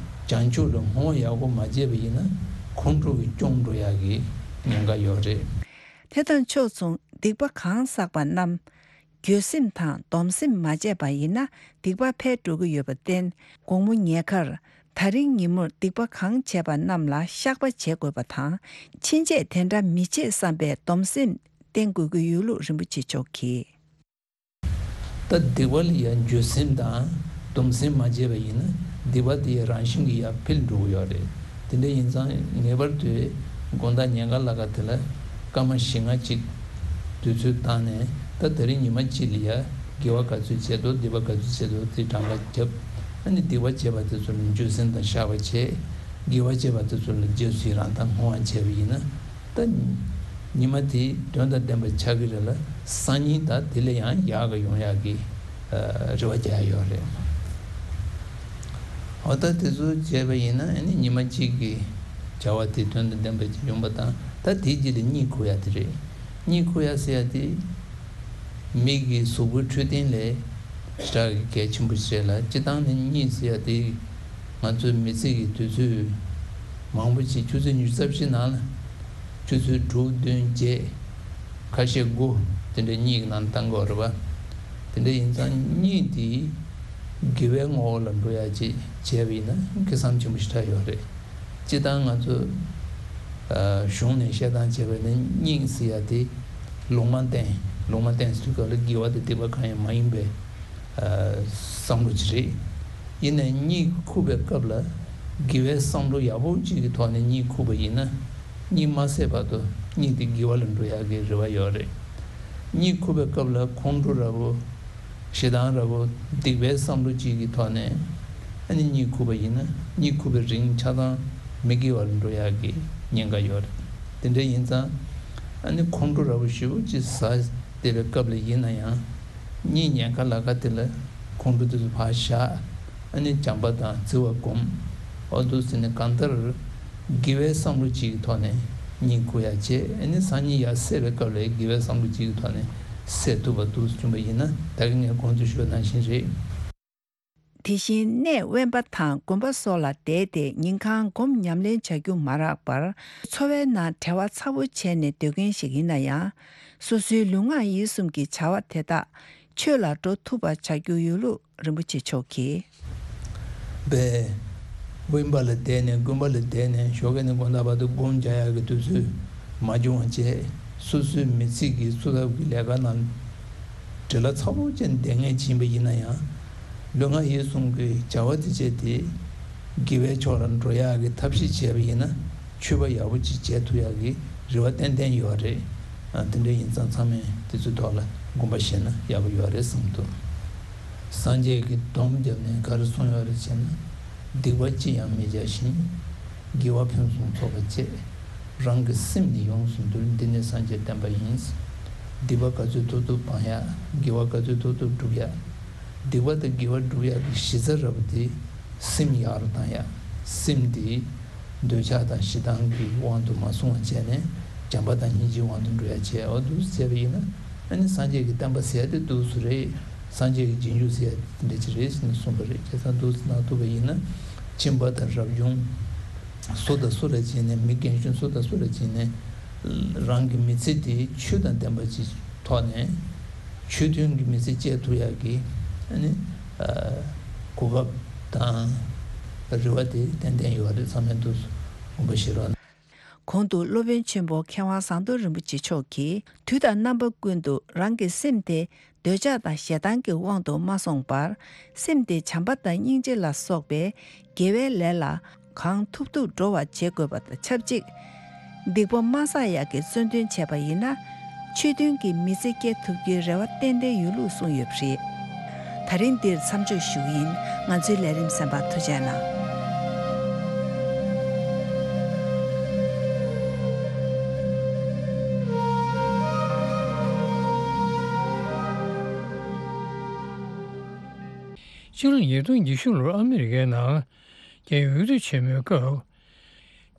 བྱང་ཆུབ་ལ་བསྔོ་བ་ཡག་པོ་མ་བྱས་པ་ཡིན་ན་ཁོང་ཁྲོ་གིས་སྐྱོང་འགྲོ་ཡག་གི་ཉེན་ཁ་ཡོད་རེད། དེ་དང་ཕྱོགས་མཚུངས་སྡིག་པ་གང་བསགས་པ་རྣམས་འགྱོད་སེམས་དང་སྡོམ་སེམས་མ་བྱས་པ་ཡིན་ན་སྡིག་པ་འཕེལ་འགྲོ་གི་ཡོད་པར་བརྟེན། དགོང་མོ་ཉལ་ཁར་ད་རིང་ཉིན་མོར་སྡིག་པ་གང་བྱས་པ་རྣམས་ལ་བཤགས་པ་བྱེད་དགོས་པ་དང་། ཕྱིན་ཆད་དེ་འདྲ་མི་བྱེད་བསམ་པའི་སྡོམ་སེམས་བསྟེན་དགོས་ཀྱི་ཡོད་ལུགས་རིན་པོ་ཆེ་མཆོག་གིས། ད་སྡིག་པ་ལ་ཡང་འགྱོད་སེམས་དང་སྡོམ་སེམས་མ་བྱས་པ་ཡིན་ན་སྡིག་པ་དེ་ཡང་རང་བཞིན་གྱིས་ཡར་འཕེལ་འགྲོ་གི་ཡོད་རེད། དེ་འདྲ་ཡིན་ཙང་ངེས་པར་དུ་དགོང་དག་ཉལ་ཁ་ལ་ཁ་དེ་ལ་སྐར་མ་བཞི་ལྔ་གཅིག་དུས་ཚོད་བཏང་ནས། ད་ད་རིང་ཉི་མ་གཅིག་ལ་ཡ་དགེ་བ་ག་ཚོད་བྱས་འདུག་སྡིག་པ་ག་ཚོད་བྱས་འདུག་དེ་གྲངས་ཀ་བརྒྱབ། ཨ་ནི་སྡིག་པ་བྱས་པ་དེ་ཚོ་ལ་འགྱོད་སེམས་དང་བཤགས་པ་བྱས། དགེ་བ་བྱས་པ་དེ་ཚོ་ལ་རྗེས་སུ་ཡི་རང་དང་བསྔོ་བ་བྱས་པ་ཡིན་ན། ད་ཉི་མ་དེ་དོན་དང་ལྡན་པ་ཆགས་ཀྱི་རེད་ལ། སང་ཉིན་ད་དེ་ལས་ཡང་ཡག་ག་ཡོང་ཡག་གི་རེ་བ་རྒྱག་ཡོད་རེད། འོ་ད་དེ་ཚོ་བྱས་པ་ཡིན་ན་ཨ་ནི་ཉི་མ་གཅིག་གི་བྱ་བ་དེ་དོན་དང་ལྡན་པ་ཅིག་ཡོང་པ་དང་། ད་དེའི་རྗེས་ལ་གཉིད་ཁུག་ཡག་དེ་རེད། གཉིད་ཁུག་ཡག་ཟེར་ཡག་དེ་མི་གི་གཟུགས་པོའི་འཕྲོད་བསྟེན་ལ་ཞེ་དྲག་གི་གལ་ཆེན་པོ་ཞིག་རེད་ལ། སྤྱིར་བཏང་ནི་གཉིད་ཟེར་ཡག་དེ་ང་ཚོའི་མི་ཚེ་གི་དུས་ཚོད་མང་པོ་ཞིག་ཆུ་ཚོད་ཉི་ཤུ་རྩ་བཞི་ནང་ལ་ཆུ་ཚོད་དྲུག་བདུན་བརྒྱད། ཁ་ཤས་དགུ་དེ་འདྲའི་གཉིད་ཀྱི་ནང་བཏང་དགོས་རེད་པ། དེ་འདྲ་ཡིན་ཙང་གཉིད་དེ་དགེ་བའི་ངོ་བོ་ལ་འགྲོ་ཡག་ཅིག་བྱས་པ་ཡིན་ན་གལ་གནད་ཆེན་པོ་ཞེ་དྲག་ཡོད་རེད། སྤྱིར་བཏང་ང་ཚོ་ཨ་གཞུང་ནས་བཤད་སྟངས་བྱས་པ་ཡིན་ན་གཉིད་ཟེར་ཡག་དེ་ལུང་མ་བསྟན། ལུང་མ་བསྟན་ཟེར་དུས་སྐབས་ལ་དགེ་བ་དང་སྡིག་པ་གང་ཡང་མ་ཡིན་པའི་ཨ་བསམ་བློ་ཅིག་རེད། ཡིན་ནའི་གཉིད་ཁུག་པའི་སྐབས་ལ་དགེ་བའི་བསམ་བློ་ཡག་པོ་ཅིག་གི་ཐོག་ནས་གཉིད་ཁུག་པ་ཡིན་ན། གཉིད་མ་སད་བར་དུ་གཉིད་དེ་དགེ་བ་ལ་འགྲོ་ཡག་གི་རེ་བ་ཡོད་རེད། གཉིད་ཁུག་པའི་སྐབས་ལ་ཁོང་ཁྲོ་འདྲ་པོ། ཞེ་སྡང་འདྲ་པོ། སྡིག་པའི་བསམ་བློ་གཅིག་གི་ཐོག་ནས་ཨ་ནི་གཉིད་ཁུག་པ་ཡིན་ན། གཉིད་ཁུག་པའི་རིང་ཆ་ཚང་མི་དགེ་བ་ལ་འགྲོ་ཡག་གི་ཉེན་ཁ་ཡོད་རེད། དེ་འདྲ་ཡིན་ཙང་ཨ་ནི་ཁོང་ཁྲོ་འདྲ་པོ་ཞེ་པོ་ཅིག་ཟ་བསྡད་པའི་སྐབས་ལ་ཡིན་ན་ཡང་། གཉིད་ཉལ་ཁ་ལ་ཁ་དེ་ལ་ཁོང་ཁྲོ་དེ་ཚོ་ཕར་བཞག་ཨ་ནི་བྱམས་པ་དང་བརྩེ་བ་སྒོམ། འོ་འདུག་ཟེར་ནས་གང་ལྟར་དགེ་བའི་བསམ་བློ་གཅིག་གི་ཐོག་ནས་གཉིད་ཁུག་ཡག་བྱས། ཨ་ནི་སང་ཉིན་ཡར་སད་པའི་སྐབས་ལ་དགེ་བའི་བསམ་བློ་གཅིག་གི་ཐོག་ནས་སད་ཐུབ་པ་འདུག་བྱུང་བ་ཡིན་ན། ད་གིན་ངས་གོང་དུ་ཞུས་པ་ནང་བཞིན་རེད། དེ་བཞིན་གནས་དབེན་པ་དང་དགོན་པ་སོགས་ལ་བསྡད་དེ་ཉིན་གང་སྒོམ་ཉམས་ལེན་བྱ་རྒྱུ་མ་རག་པར། འཚོ་བའི་ནང་བྲེལ་བ་ཚ་པོ་བྱས་ནས་སྡོད་མཁན་ཞིག་ཡིན་ན་ཡང་། སོ་སོའི་ལུས་ངག་ཡིད་གསུམ་གྱི་བྱ་བ་དེ་དག་ཆོས་ལ་འགྲོ་ཐུབ་པ་བྱ་རྒྱུ་ཡོད་ལུགས་རིན་པོ་ཆེ་མཆོག་གིས། པས། དབེན་པ་ལ་བསྡད་ནས་དགོན་པ་ལ་བསྡད་ནས་ཞོགས་ཀས་ནས་དགོང་དག་བར་དུ་སྒོམ་རྒྱག་ཡག་གི་དུས་ཚོད་མ་བྱུང་བ་བྱས། སོ་སོའི་མི་ཚེ་གི་འཚོ་ཐབས་ཀྱི་ལས་ཀ་ནང་བྲེལ་བ་ཚ་པོ་ཅན་བསྡད་མཁན་ཅིག་ཡིན་པ་ཡིན་ན་ཡང་། ལུས་ངག་ཡིད་གསུམ་གྱི་བྱ་བ་དེ་བྱས་ཏེ་དགེ་བའི་ཕྱོགས་ལ་འགྲོ་ཡག་གི་ཐབས་ཤེས་བྱས་པ་ཡིན་ན། མཆོད་པ་ཡག་པོ་ཅིག་བྱེད་ཐུབ་ཡག་གི་རེ་བ་ཏན་ཏན་ཡོད་རེད། ཨ་དེ་འདྲ་ཡིན་ཙང་ཚང་མས་དེ་ཚོའི་ཐོག་ལ་དགོངས་པ་བཞེས་ན་ཡག་པོ་ཡོད་རེད་བསམ་འདུག་སངས་རྒྱས་ཀྱིས་སྡོམ་བརྒྱབ་ནས་ག་རེ་གསུངས་ཡོད་རེད་ཟེར་ན། སྡིག་པ་ཅི་ཡང་མི་བྱ་ཞིང་། དགེ་བ་ཕུན་སུམ་ཚོགས་པ་བྱེད། རང་གི་སེམས་ནི་ཡོངས་སུ་འདུལ། འདི་ནི་སངས་རྒྱས་བསྟན་པ་ཡིན། སྡིག་པ་ག་ཚོད་ཐུབ་ཐུབ་སྤང་ཡག་དགེ་བ་ག་ཚོད་ཐུབ་ཐུབ་སྒྲུབ་ཡག་སྡིག་པ་དང་དགེ་བ་སྒྲུབ་ཡག་གི་གཞི་རྩ་ར་བ་དེ་སེམས་ཡག་རུ་བཏང་ཡག་སེམས་དེ་འདོད་ཆགས་དང་ཞེ་སྡང་གི་དབང་དུ་མ་སོང་བ་བྱས་ནས་བྱམས་པ་དང་སྙིང་རྗེའི་དབང་དུ་འགྲོ་ཡག་བྱས། འོ་འདུག་སེ་བྱས་པ་ཡིན་ན་ཨ་ནི་སངས་རྒྱས་ཀྱི་བསྟན་པ་ཟེར་ཡག་དེ་འདུག་སེ་རེད། སངས་རྒྱས་ཀྱི་རྗེས་འཇུག་ཟེར་ཡག་དེ་འདྲ་ཅིག་རེད་ཟེར་ནས་གསུངས་པ་རེད། བྱས་ཙང་འདུག་སེ་གནང་ཐུབ་པ་ཡིན་ན་ཁྱིམ་པ་དང་རབ་བྱུང་སུ་དང་སུ་ལ་བྱས་ནས། མི་རྒན་གཞོན་སུ་དང་སུ་ལ་བྱས་ནས་རང་གི་མི་ཚེ་དེ་ཆོས་དང་ལྡན་པ་ཅིག་ཐོག་ནས་ཆོས་མཐུན་གྱི་མི་ཚེ་སྐྱེལ་ཐུབ་ཡག་གི་ཨ་ནི་ཨ་གོ་སྐབས་དང་རེ་བ་དེ་ཏན་ཏན་ཡོད་རེད། ཚང་མས་འདུག་སེ་དགོངས་པ་བཞེས་རོགས་གནང་། གོང་དུ་སློབ་དཔོན་ཆེན་པོ་མཁས་དབང་ཟམ་གདོང་རིན་པོ་ཆེ་མཆོག་གིས། དུས་དང་རྣམ་པ་ཀུན་ཏུ་རང་གི་སེམས་དེ་འདོད་ཆགས་དང་ཞེ་སྡང་གི་དབང་དུ་མ་སོང་བར། སེམས་དེ་བྱམས་པ་དང་སྙིང་རྗེ་ལ་སོགས་པའི་དགེ་བའི་ལས་ལ་གང་ཐུབ་ཐུབ་འགྲོ་བར་བྱེད་དགོས་པ་དང་ཆབས་ཅིག། སྡིག་པ་མ་བསགས་ཡག་གི་བརྩོན་འདུན་བྱས་པ་ཡིན་ན། ཆོས་མཐུན་གྱི་མི་ཚེ་སྐྱེལ་ཐུབ་རྒྱུའི་རེ་བ་ཏན་ཏན་ཡོད་ལུགས་གསུངས་ཡོད་པ་རེད། ད་རིང་འདིར་མཚམས་འཇོག་ཞུ་གི་ཡིན། ང་ཚོའི་ལས་རིམ་གསན་པར་ཐུགས་རྗེ་གནང་། ཕྱི་ལོ་ཉིས་སྟོང་ཉི་ཤུ་ལོར་ཨ་མི་རི་ཀའི་ནང་རྒྱལ་ཡོངས་འོས་བསྡུ་ཆེན་མོའི་སྐབས།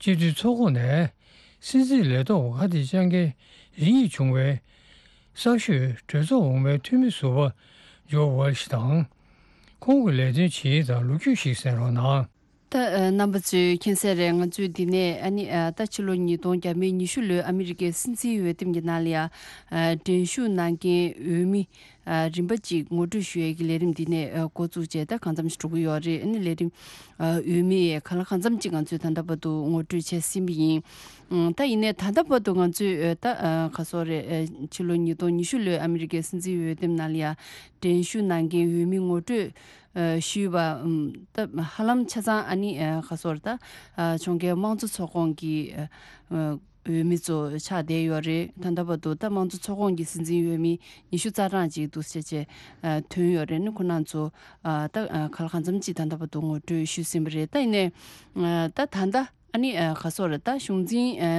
སྤྱི་འཐུས་ཚོགས་ཁོངས་ནས་སྲིད་འཛིན་ལས་ཐོག་ཁ་གཏད་བཅག་མཁན་རེ་གཉིས་བྱུང་བའི་གསར་ཤོས་གྲོས་ཚོགས་འོག་མའི་འཐུས་མི་ཟུར་པ་ཇོ་ཝལ་ཤི་དང་། ཁོང་གི་ལས་དོན་ཇི་ཡིན་དང་ལོ་རྒྱུས་ཤིག་གསན་རོགས་གནང་། ད་ཨ་རྣམ་པ་ཚོས་མཁྱེན་གསལ་རེད། ང་ཚོས་འདི་ནས་ཨ་ནི་ཨ་ད་ཕྱི་ལོ་ཉིས་སྟོང་ཉི་ཤུ་ལོའི་ཨ་མི་རི་ཀའི་སྲིད་འཛིན་འོས་འདེམས་ཀྱི་ནང་ལ་ཡ་ཨ་འགྲན་ཞུགས་གནང་མཁན་འོས་མི་ཨ་རིམ་པ་གཅིག་ངོ་སྤྲོད་ཞུ་ཡས་ཀྱི་ལས་རིམ་འདི་ནས་ཨ་འགོ་བཙུགས་བྱས། ད་གང་འཚམ་ཞིག་འགྲོ་གི་ཡོད་རེད། ཨ་ནི་ལས་རིམ་ཨ་འོས་མི་གང་ལ་གང་འཚམ་གཅིག་ང་ཚོས་ད་ལྟ་བར་དུ་ངོ་སྤྲོད་བྱས་ཟིན་པ་ཡིན། ཨ་ད་ཡིན་ནའི་ད་ལྟ་བར་དུ་ང་ཚོས་ཨ་ད་ཨ་ག་སོག་རེད། ཨ་ཕྱི་ལོ་ཉིས་སྟོང་ཉི་ཤུ་ལོའི་ཨ་མི་རི་ཀའི་སྲིད་འཛིན་འོས་འདེམས་ནང་ལ་ཡ་འགྲན་ཞུགས་གནང་མཁན་འོས་མི་ངོ་སྤྲོད་ཨ་ཞུས་པ། ཨམ་ད་ཧ་ལམ་ཆ་ཚང་ཨ་ནི་ཨ་ག་སོག་རེད། ད་ཨ་ཕྱོགས་འགལ་དམངས་གཙོ་ཚོགས་ཁོངས་ཀྱི་ཨ་འོས་མི་ཚོ་ཆགས་བསྡད་ཡོད་རེད། ད་ལྟ་བར་དུ་ད་དམངས་གཙོ་ཚོགས་ཁོངས་ཀྱི་སྲིད་འཛིན་འོས་མི་ཉི་ཤུ་རྩ་གྲངས་ཅིག་འདུག་སེ་བྱས་ཨ་ཐོན་ཡོད་རེད། ནི་ཁོ་རང་ཚོ་ཨ་ད་ཨ་གང་ལ་གང་འཚམ་ཅིག་ད་ལྟ་བར་དུ་ངོ་སྤྲོད་ཞུས་ཟིན་པ་རེད། ད་ཡིན་ནའི་ཨ་ད་ད་ལྟ་ཨ་ནི་ཨ་ག་སོག་རེད། ད་གཞུང་འཛིན་ཨ་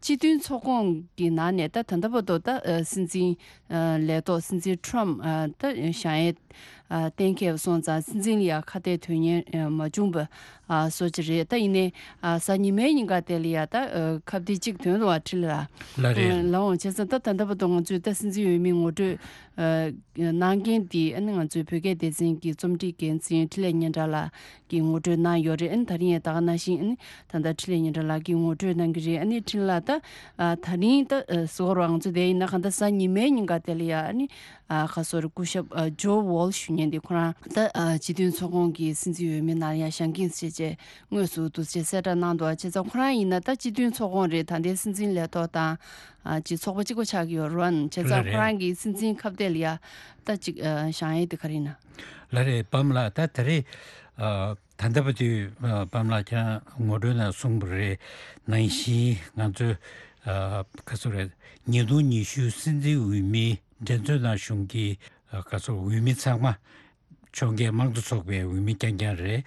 སྤྱི་མཐུན་ཚོགས་ཁོངས་ཀྱི་ནང་ནས་ད་ད་ལྟ་བར་དུ་ད་ཨ་སྲིད་འཛིན་ཨ་ལས་ཐོག་སྲིད་འཛིན་ཊམ་ཕ་ཨ་ད་བཞེངས་ཡས་ཨ་གཏན་འཁེལ་བ་སོང་ཙང་སྲིད་འཛིན་ལ་ཡ་ཁ་གཏད་དོན་གཉེར་ཨ་མ་བྱུང་བ་ཨ་བཟོ་ཅིག་རེད། ད་ཡིན་ནའི་ཨ་གཟའ་ཉི་མའི་ཉིན་ཀ་དེ་ལ་ཡ་ད་ཨ་ཁ་གཏད་གཅིག་ཐོན་འདུག་བ་ཁྲི་ལ། ལ་རེད། ལ་འོང་བྱས་ཙང་ད་ད་ལྟ་བར་དུ་ང་ཚོས་ད་སྲིད་འཛིན་འོས་མི་ངོ་སྤྲོད་ཨ་གནང་མཁན་དེ་ཨ་ནི་ང་ཚོའི་བོད་སྐད་སྡེ་ཚན་གྱི་རྩོམ་སྒྲིག་འགན་འཛིན་འཕྲིན་ལས་སྙན་གྲགས་ལགས་ཀྱིས་ངོ་སྤྲོད་གནང་ཡོད་རེད། ཨ་ནི་ད་རིང་ཡང་ད་ག་ནང་བཞིན་ཨ་ནི་ད་ལྟ་འཕྲིན་ལས་སྙན་གྲགས་ལགས་ཀྱིས་ངོ་སྤྲོད་གནང་གི་རེད། ཨ་ནི་འཕྲིན་ལགས་ད་ཨ་ད་རིང་ད་ཨ་ཟེར་བ་ང་ཚོ་དེ་ཡིན་ན་གང་ལྟར་གཟའ་ཉི་མའི་ཉིན་ཀ་དེ་ལ་ཡ་ཨ་ནི་ཨ་ག་སོག་རེད། སྐུ་ཞབས་ཨ་ཇོ་ཝོལ་ཞུ་མཁན་དེ་ཁོ་རང་ད་ཨ་སྤྱི་མཐུན་ཚོགས་ཁོངས་ཀྱི་སྲིད་འཛིན་འོས་མི་ནང་ཡ་བཞེངས་མཁན་ཞེས་བྱས་དངོས་སུ་འདུག་སེ་གསལ་བསྒྲགས་གནང་འདུག་བྱས་ཙང་ཁོ་རང་ཡིན་ན་ད་སྤྱི་མཐུན་ཚོགས་ཁོངས་རེད། ད་ལྟའི་སྲིད་འཛིན་ལས་ཐོག་དང་ཨ་ཅིག་ཚོགས་པ་གཅིག་པ་ཆགས་ཀྱི་ཡོད་རེད། བྱས་ཙང་ལ་ཁོ་རེད། རང་གི་སྲིད་འཛིན་ཁ་གཏད་ལ་ཡ་ད་ཅིག་ཨ་བཞེངས་ཡས་དེ་ག་རེ་ཡིན་ན། ལ་རེད། བམ་ལགས། ད་ད་རེས་ཨ་ད་ལྟ་བར་དུ་ཨ་བམ་ལགས་ཀྱང་ངོ་སྤྲོད་ནང་གསུངས་པ་རེད། ནང་བཞིན་ང་ཚོས་ཨ་ག་ཚོད་རེད། ཉིས་སྟོང་ཉི་ཤུ་སྲིད་འཛིན་འོས་མི་འགྲན་རྩོད་ནང་ཞུགས་མཁན་གྱི་ཨ་ག་ཚོད་འོས་མི་ཚང་མ་ཕྱོགས་འགལ་དམངས་གཙོ་ཚོགས་པའི་འོས་མི་རྐྱང་རྐྱང་རེད།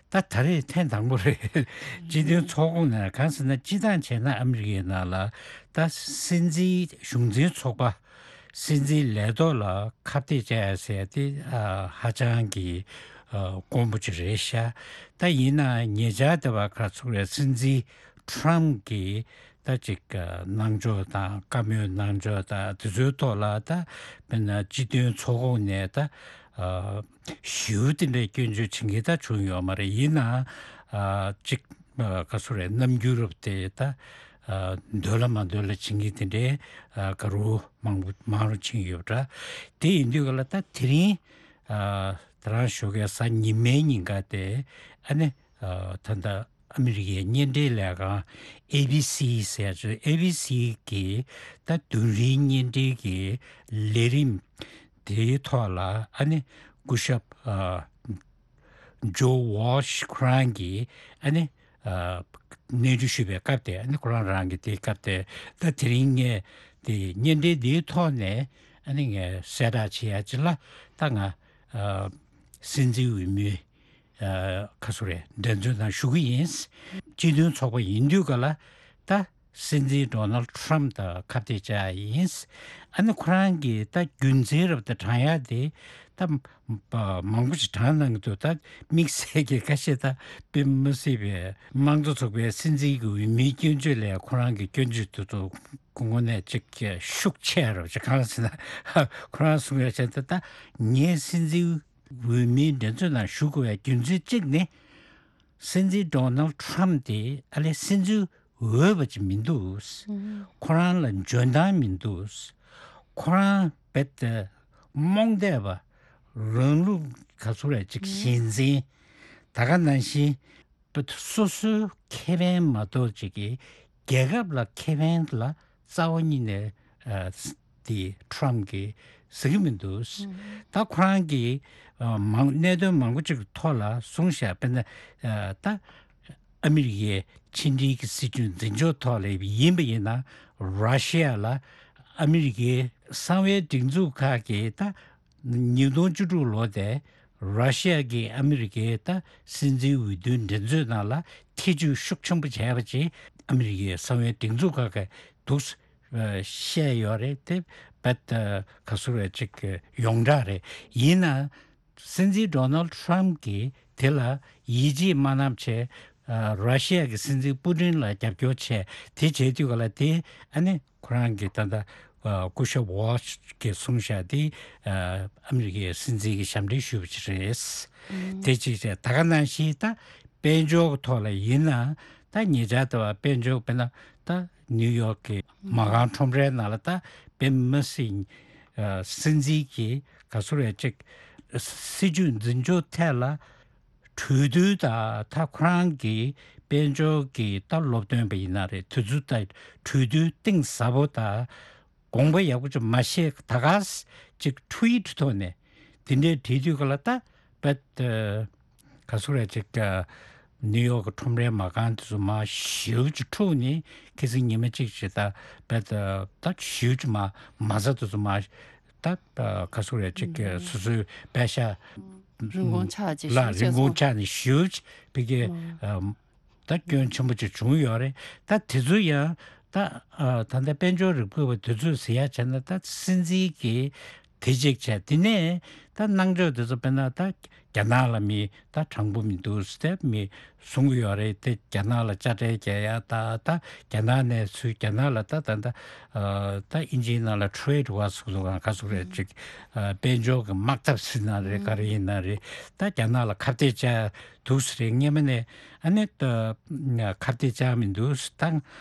ད་ད་རེས་ཐེངས་དང་པོ་རེད། སྤྱི་མཐུན་ཚོགས་ཁོངས་ནས། གང་ཟེར་ན་སྤྱིར་བཏང་བྱས་ན་ཨ་མི་རི་ཀའི་ནང་ལ་ད་སྲིད་འཛིན་གཞུང་འཛིན་ཚོགས་པ། སྲིད་འཛིན་ལས་ཐོག་ལ་ཁ་གཏད་བཅག་ཡ་ཟེར་ཡ་དེ་ཨ་ཧ་ཅང་གི་ཨ་དཀོན་པོ་ཅིག་རེད་ཤག་ད་ཡིན་ནའང་ཉེ་ཆར་དེ་བར་ག་ཚོད་རེད། སྲིད་འཛིན་ཊམ་ཕ་གིས་ད་ཅིག་ཨ་གནང་ཕྱོགས་དང་བཀའ་མོལ་གནང་ཕྱོགས་དང་དེ་ཚོའི་ཐོག་ལ། ད་དཔེར་ན་སྤྱི་མཐུན་ཚོགས་ཁོངས་ནས་ད་ཨ་ཞེ་པོ་དེ་འདྲའི་སྐྱོན་བརྗོད་བྱེད་མཁན་ད་བྱུང་ཡོད་མ་རེད། ཡིན་ནའང་ཨ་ཅིག་ཨ་ག་ཚོད་རེད། རྣམ་འགྱུར་རབ་དེ་ད་ཨ་འདོད་ལ་མ་འདོད་ལ་བྱེད་མཁན་དེ་འདྲའི་ཨ་ག་རུ་མང་པོ་མང་རུ་ཕྱིན་ཡོད་པ་འདྲ། དེ་ཡིན་དུས་ག་ལ་ད་དེ་རིང་ཨ་ད་རང་ཞོགས་ཀའི་གཟའ་ཉི་མའི་ཉིན་ཀ་དེ་ཨ་ནི་ཨ་ད་ལྟ་ཨ་མི་རི་ཀའི་བརྙན་འཕྲིན་ལས་ཁང་ཨེ་བི་སི་ཟེར་ཡ་ཅིག་ཨེ་བི་སི་གི་ད་དུས་རིང་བརྙན་འཕྲིན་གྱི་ལས་རིམ་དེའི་ཐོག་ལ་ཨ་ནི་སྐུ་ཞབས་ཨ་ཇོ་ཝོལ་ཤི་ཁོ་རང་གིས་ཨ་ནི་ཨ་གནས་འདྲི་ཞུས་པའི་སྐབས་དེ། ཨ་ནི་ཁོ་རང་རང་གི་དེའི་སྐབས་དེ། ད་དེ་རིང་ངས་དེ་བརྙན་འཕྲིན་འདིའི་ཐོག་ནས་ཨ་ནི་ངས་གསལ་བསྒྲགས་བྱེད་ཡ་ཅིག་ལ། ད་ང་ཨ་སྲིད་འཛིན་འོས་མི་ཨ་ག་ཚོད་རེད། འགྲན་རྩོད་ནང་ཞུགས་ཀྱི་ཡིན། སྤྱི་མཐུན་ཚོགས་པ་ཡིན་དུས་ག་ལ་ད་སྲིད་འཛིན་ཌོ་ནལ་ཊམ་ཕ་དང་ཁ་གཏད་བཅག་ཡིན། ཨ་ནི་ཁོ་རང་གིས་ད་རྒྱུ་མཚན་རབ་ཏུ་དྲངས་ཡ་དེ་ད་མང་པོ་ཞིག་དྲངས་གནང་གི་འདུག་ད་དམིགས་བསལ་གྱི་ཁ་ཤས་ད་དཔེ་མི་སྲིད་པའི་དམངས་གཙོ་ཚོགས་པའི་སྲིད་འཛིན་གྱི་འོས་མིའི་སྐྱོན་བརྗོད་ལས་ཁོ་རང་གི་སྐྱོན་བརྗོད་དུ་ཚོ་དངོས་གནས་ཅིག་ཤུགས་ཆེ་རབ་ཅིག་གང་ཟེར་ན། ཁོ་རང་གསུང་ཡ་བྱས་ད་ད་ངའི་སྲིད་འཛིན་འོས་མིའི་འགྲན་རྩོད་ནང་ཞུགས་དགོས་པའི་རྒྱུ་མཚན་གཅིག་ནི། སྲིད་འཛིན་ཌོ་ནལ་ཊམ་དེ་ཨ་ལས་སྲིད་འཛིན་འོས་པ་ཅིག་མི་འདུག་ཁོ་རང་ལ་འཇོན་ཐང་མི་འདུག་ཁོ་རང་རྦད་དེ་རྨོངས་དད་པ། རང་ལུགས་ག་ཚོད་རེད་ཅིག་ཞེན་འཛིན། ད་ག་ནང་བཞིན་རྦད་དེ་སོ་སོའི་ཁེ་ཕན་མ་གཏོགས་ཅིག་གི་ རྒྱལ་ཁབ་ལ་ཁེ་ཕན་ལ་རྩ་བ་ཉིད་ནས་ཨ་དེ་ཁྲམ་གྱིས་ཟེར་གྱི་མི་འདུག་ད་ཁོ་རང་གིས་ཨ་མང་གནད་དོན་མང་པོ་ཅིག་ཐོག་ལ་གསུངས་བཞག་དཔེར་ན་ཨ་ད་ཨ་མི་རི་ཀའི་ཕྱི་འབྲེལ་གྱི་སྲིད་ཇུས་འཛིན་སྐྱོང་ཐོག་ལ་ཡིན་པ་ཡིན་ན། ར་ཤི་ཡ་ལ་ཨ་མི་རི་ཀའི་གསང་བའི་སྒྲིག་འཛུགས་ཁག་གིས་ད་ཉིས་སྟོང་བཅུ་དྲུག་ལོ་དེ་ར་ཤི་ཡ་གིས་ཨ་མི་རི་ཀའི་ད་སྲིད་འཛིན་འོས་བསྡུའི་འགྲན་རྩོད་ནང་ལ་ཐེ་བྱུས་ཤུགས་ཆེན་པོ་བྱས་པ་ཅིག་ཨ་མི་རི་ཀའི་གསང་བའི་སྒྲིག་འཛུགས་ཁག་གིས་འདུག་བཤད་ཡོད་རེད། དེ་བད་ག་སུ་རེད་ཅིག་ཡོངས་གྲགས་རེད། ཡིན་ན། སྲིད་འཛིན་ཌོ་ནལ་ཊམ་གྱིས་དེ་ལ་ཡིད་ཆེས་མ་གནང་བྱས། ཨ་ར་ཤི་ཡ་གི་སྲིད་འཛིན་པུ་ཏིན་ལ་རྒྱབ་སྐྱོར་བྱས། དེ་བྱས་དུས་ག་ལ་དེ་ཨ་ནི་ཁོ་རང་གི་ད་ལྟ་ཨ་སྐུ་ཞབས་ཝོལ་ཤི་གིས་གསུངས་བཞག་དེ་ཨ་ཨ་མི་རི་ཀའི་སྲིད་འཛིན་གྱི་ཞབས་འདྲེན་ཞུས་པ་ཅིག་རེད། དེ་གཅིག་བྱས། ད་ག་ནང་བཞིན་ད་དཔལ་འབྱོར་གྱི་ཐོག་ལ་ཡིན་ན། ད་ཉེ་ཆར་ལྟ་བ་དཔལ་འབྱོར་དཔེར་ན་ད་ནིའུ་ཡོག་གི་མ་རྐང་ཁྲོམ་རའི་ནང་ལ་ད་པེ་མི་སི་ཨ་སྲིད་འཛིན་གྱིས་ག་སུ་རེད་ཅིག་སྲིད་ཇུས་འཛིན་སྐྱོང་ཐད་ལ་གྲོས་བསྡུར་དང་། ད་ཁོ་རང་གི་དཔལ་འབྱོར་གྱི་ད་སློབ་སྟོན་པ་ཡིན་ན་རེད། དེ་ཚོ་ད་གྲོས་བསྡུར་གཏིང་ཟབ་པོ་དང་དགོངས་པ་ཡག་པོ་ཅིག་མ་བཞེས་ད་ག་ས་ཅིག་ཊུ་ཝིཊ་ཐོག་ནས་དེ་འདྲའི་བྲིས་དུས་ག་ལ་ད་བད་ག་སུ་རེད་ཅིག་ནིའུ་ཡོག་གི་ཁྲོམ་རའི་མ་རྐང་དེ་ཚོ་མར་ཞེ་པོ་ཅིག་འཁྲུགས་ནས། ཁ་སང་ཉི་མ་གཅིག་བྱས་ད་བད་ད་ཞེ་པོ་ཅིག་མར་མ་རྩ་དེ་ཚོ་མར་ད་ག་སུ་རེད་ཅིག་སོ་སོའི་པད་ཤག་རིན་གོང་ཆག་ཅིག་ལ་ཞེ་པོ་རིན་གོང་ཆག་ཆག་ནས་ཞེ་པོ་ཅིག་ཕ་གི་ད་སྐྱོན་ཆེན་པོ་ཅིག་བྱུང་ཡོད་རེད། ད་དེ་ཚོ་ཡང་ད་ཨ་ད་ལྟ་དཔལ་འབྱོར་རིག་པ་བ་དེ་ཚོས་ཟེར་ཡ་བྱས་ན། ད་སྲིད་འཛིན་གྱིས་དེ་གཅིག་བྱས། དེ་ནས་ད་གནང་ཕྱོགས་དེ་ཚོ་དཔེར་ན་ད་རྒྱ་ནག་ལ་མི་ད་དྲང་པོ་མི་འདུག་ཟེར་མི་གསུང་གི་ཡོད་རེད། དེ་རྒྱ་ནག་ལ་དཔྱ་ཁྲལ་རྒྱག་ཡ། ད་ད་རྒྱ་ནག་ནས་ཚུར་རྒྱ་ནག་ལ་ད་ད་ད་ཨ་ད་ཨིན་ཇིའི་ནང་ལ་ཊེ་རེ་ཌི་ཝར་ཟེར་གི་འདུག་ག་ག་ཟེར་རེད་ཅིག་ཨ་དཔལ་འབྱོར་གྱི་དམག་འཐབ་ཟེར་ན་རེད། ག་རེ་ཡིན་ན་རེད། ད་རྒྱ་ནག་ལ་ཁ་གཏད་བཅག་འདུག་ཟེར་རེད། སྔོན་མ་ནས་ཨ་ནི་ད་ཁ་གཏད་བཅག་མི་འདུག་ད་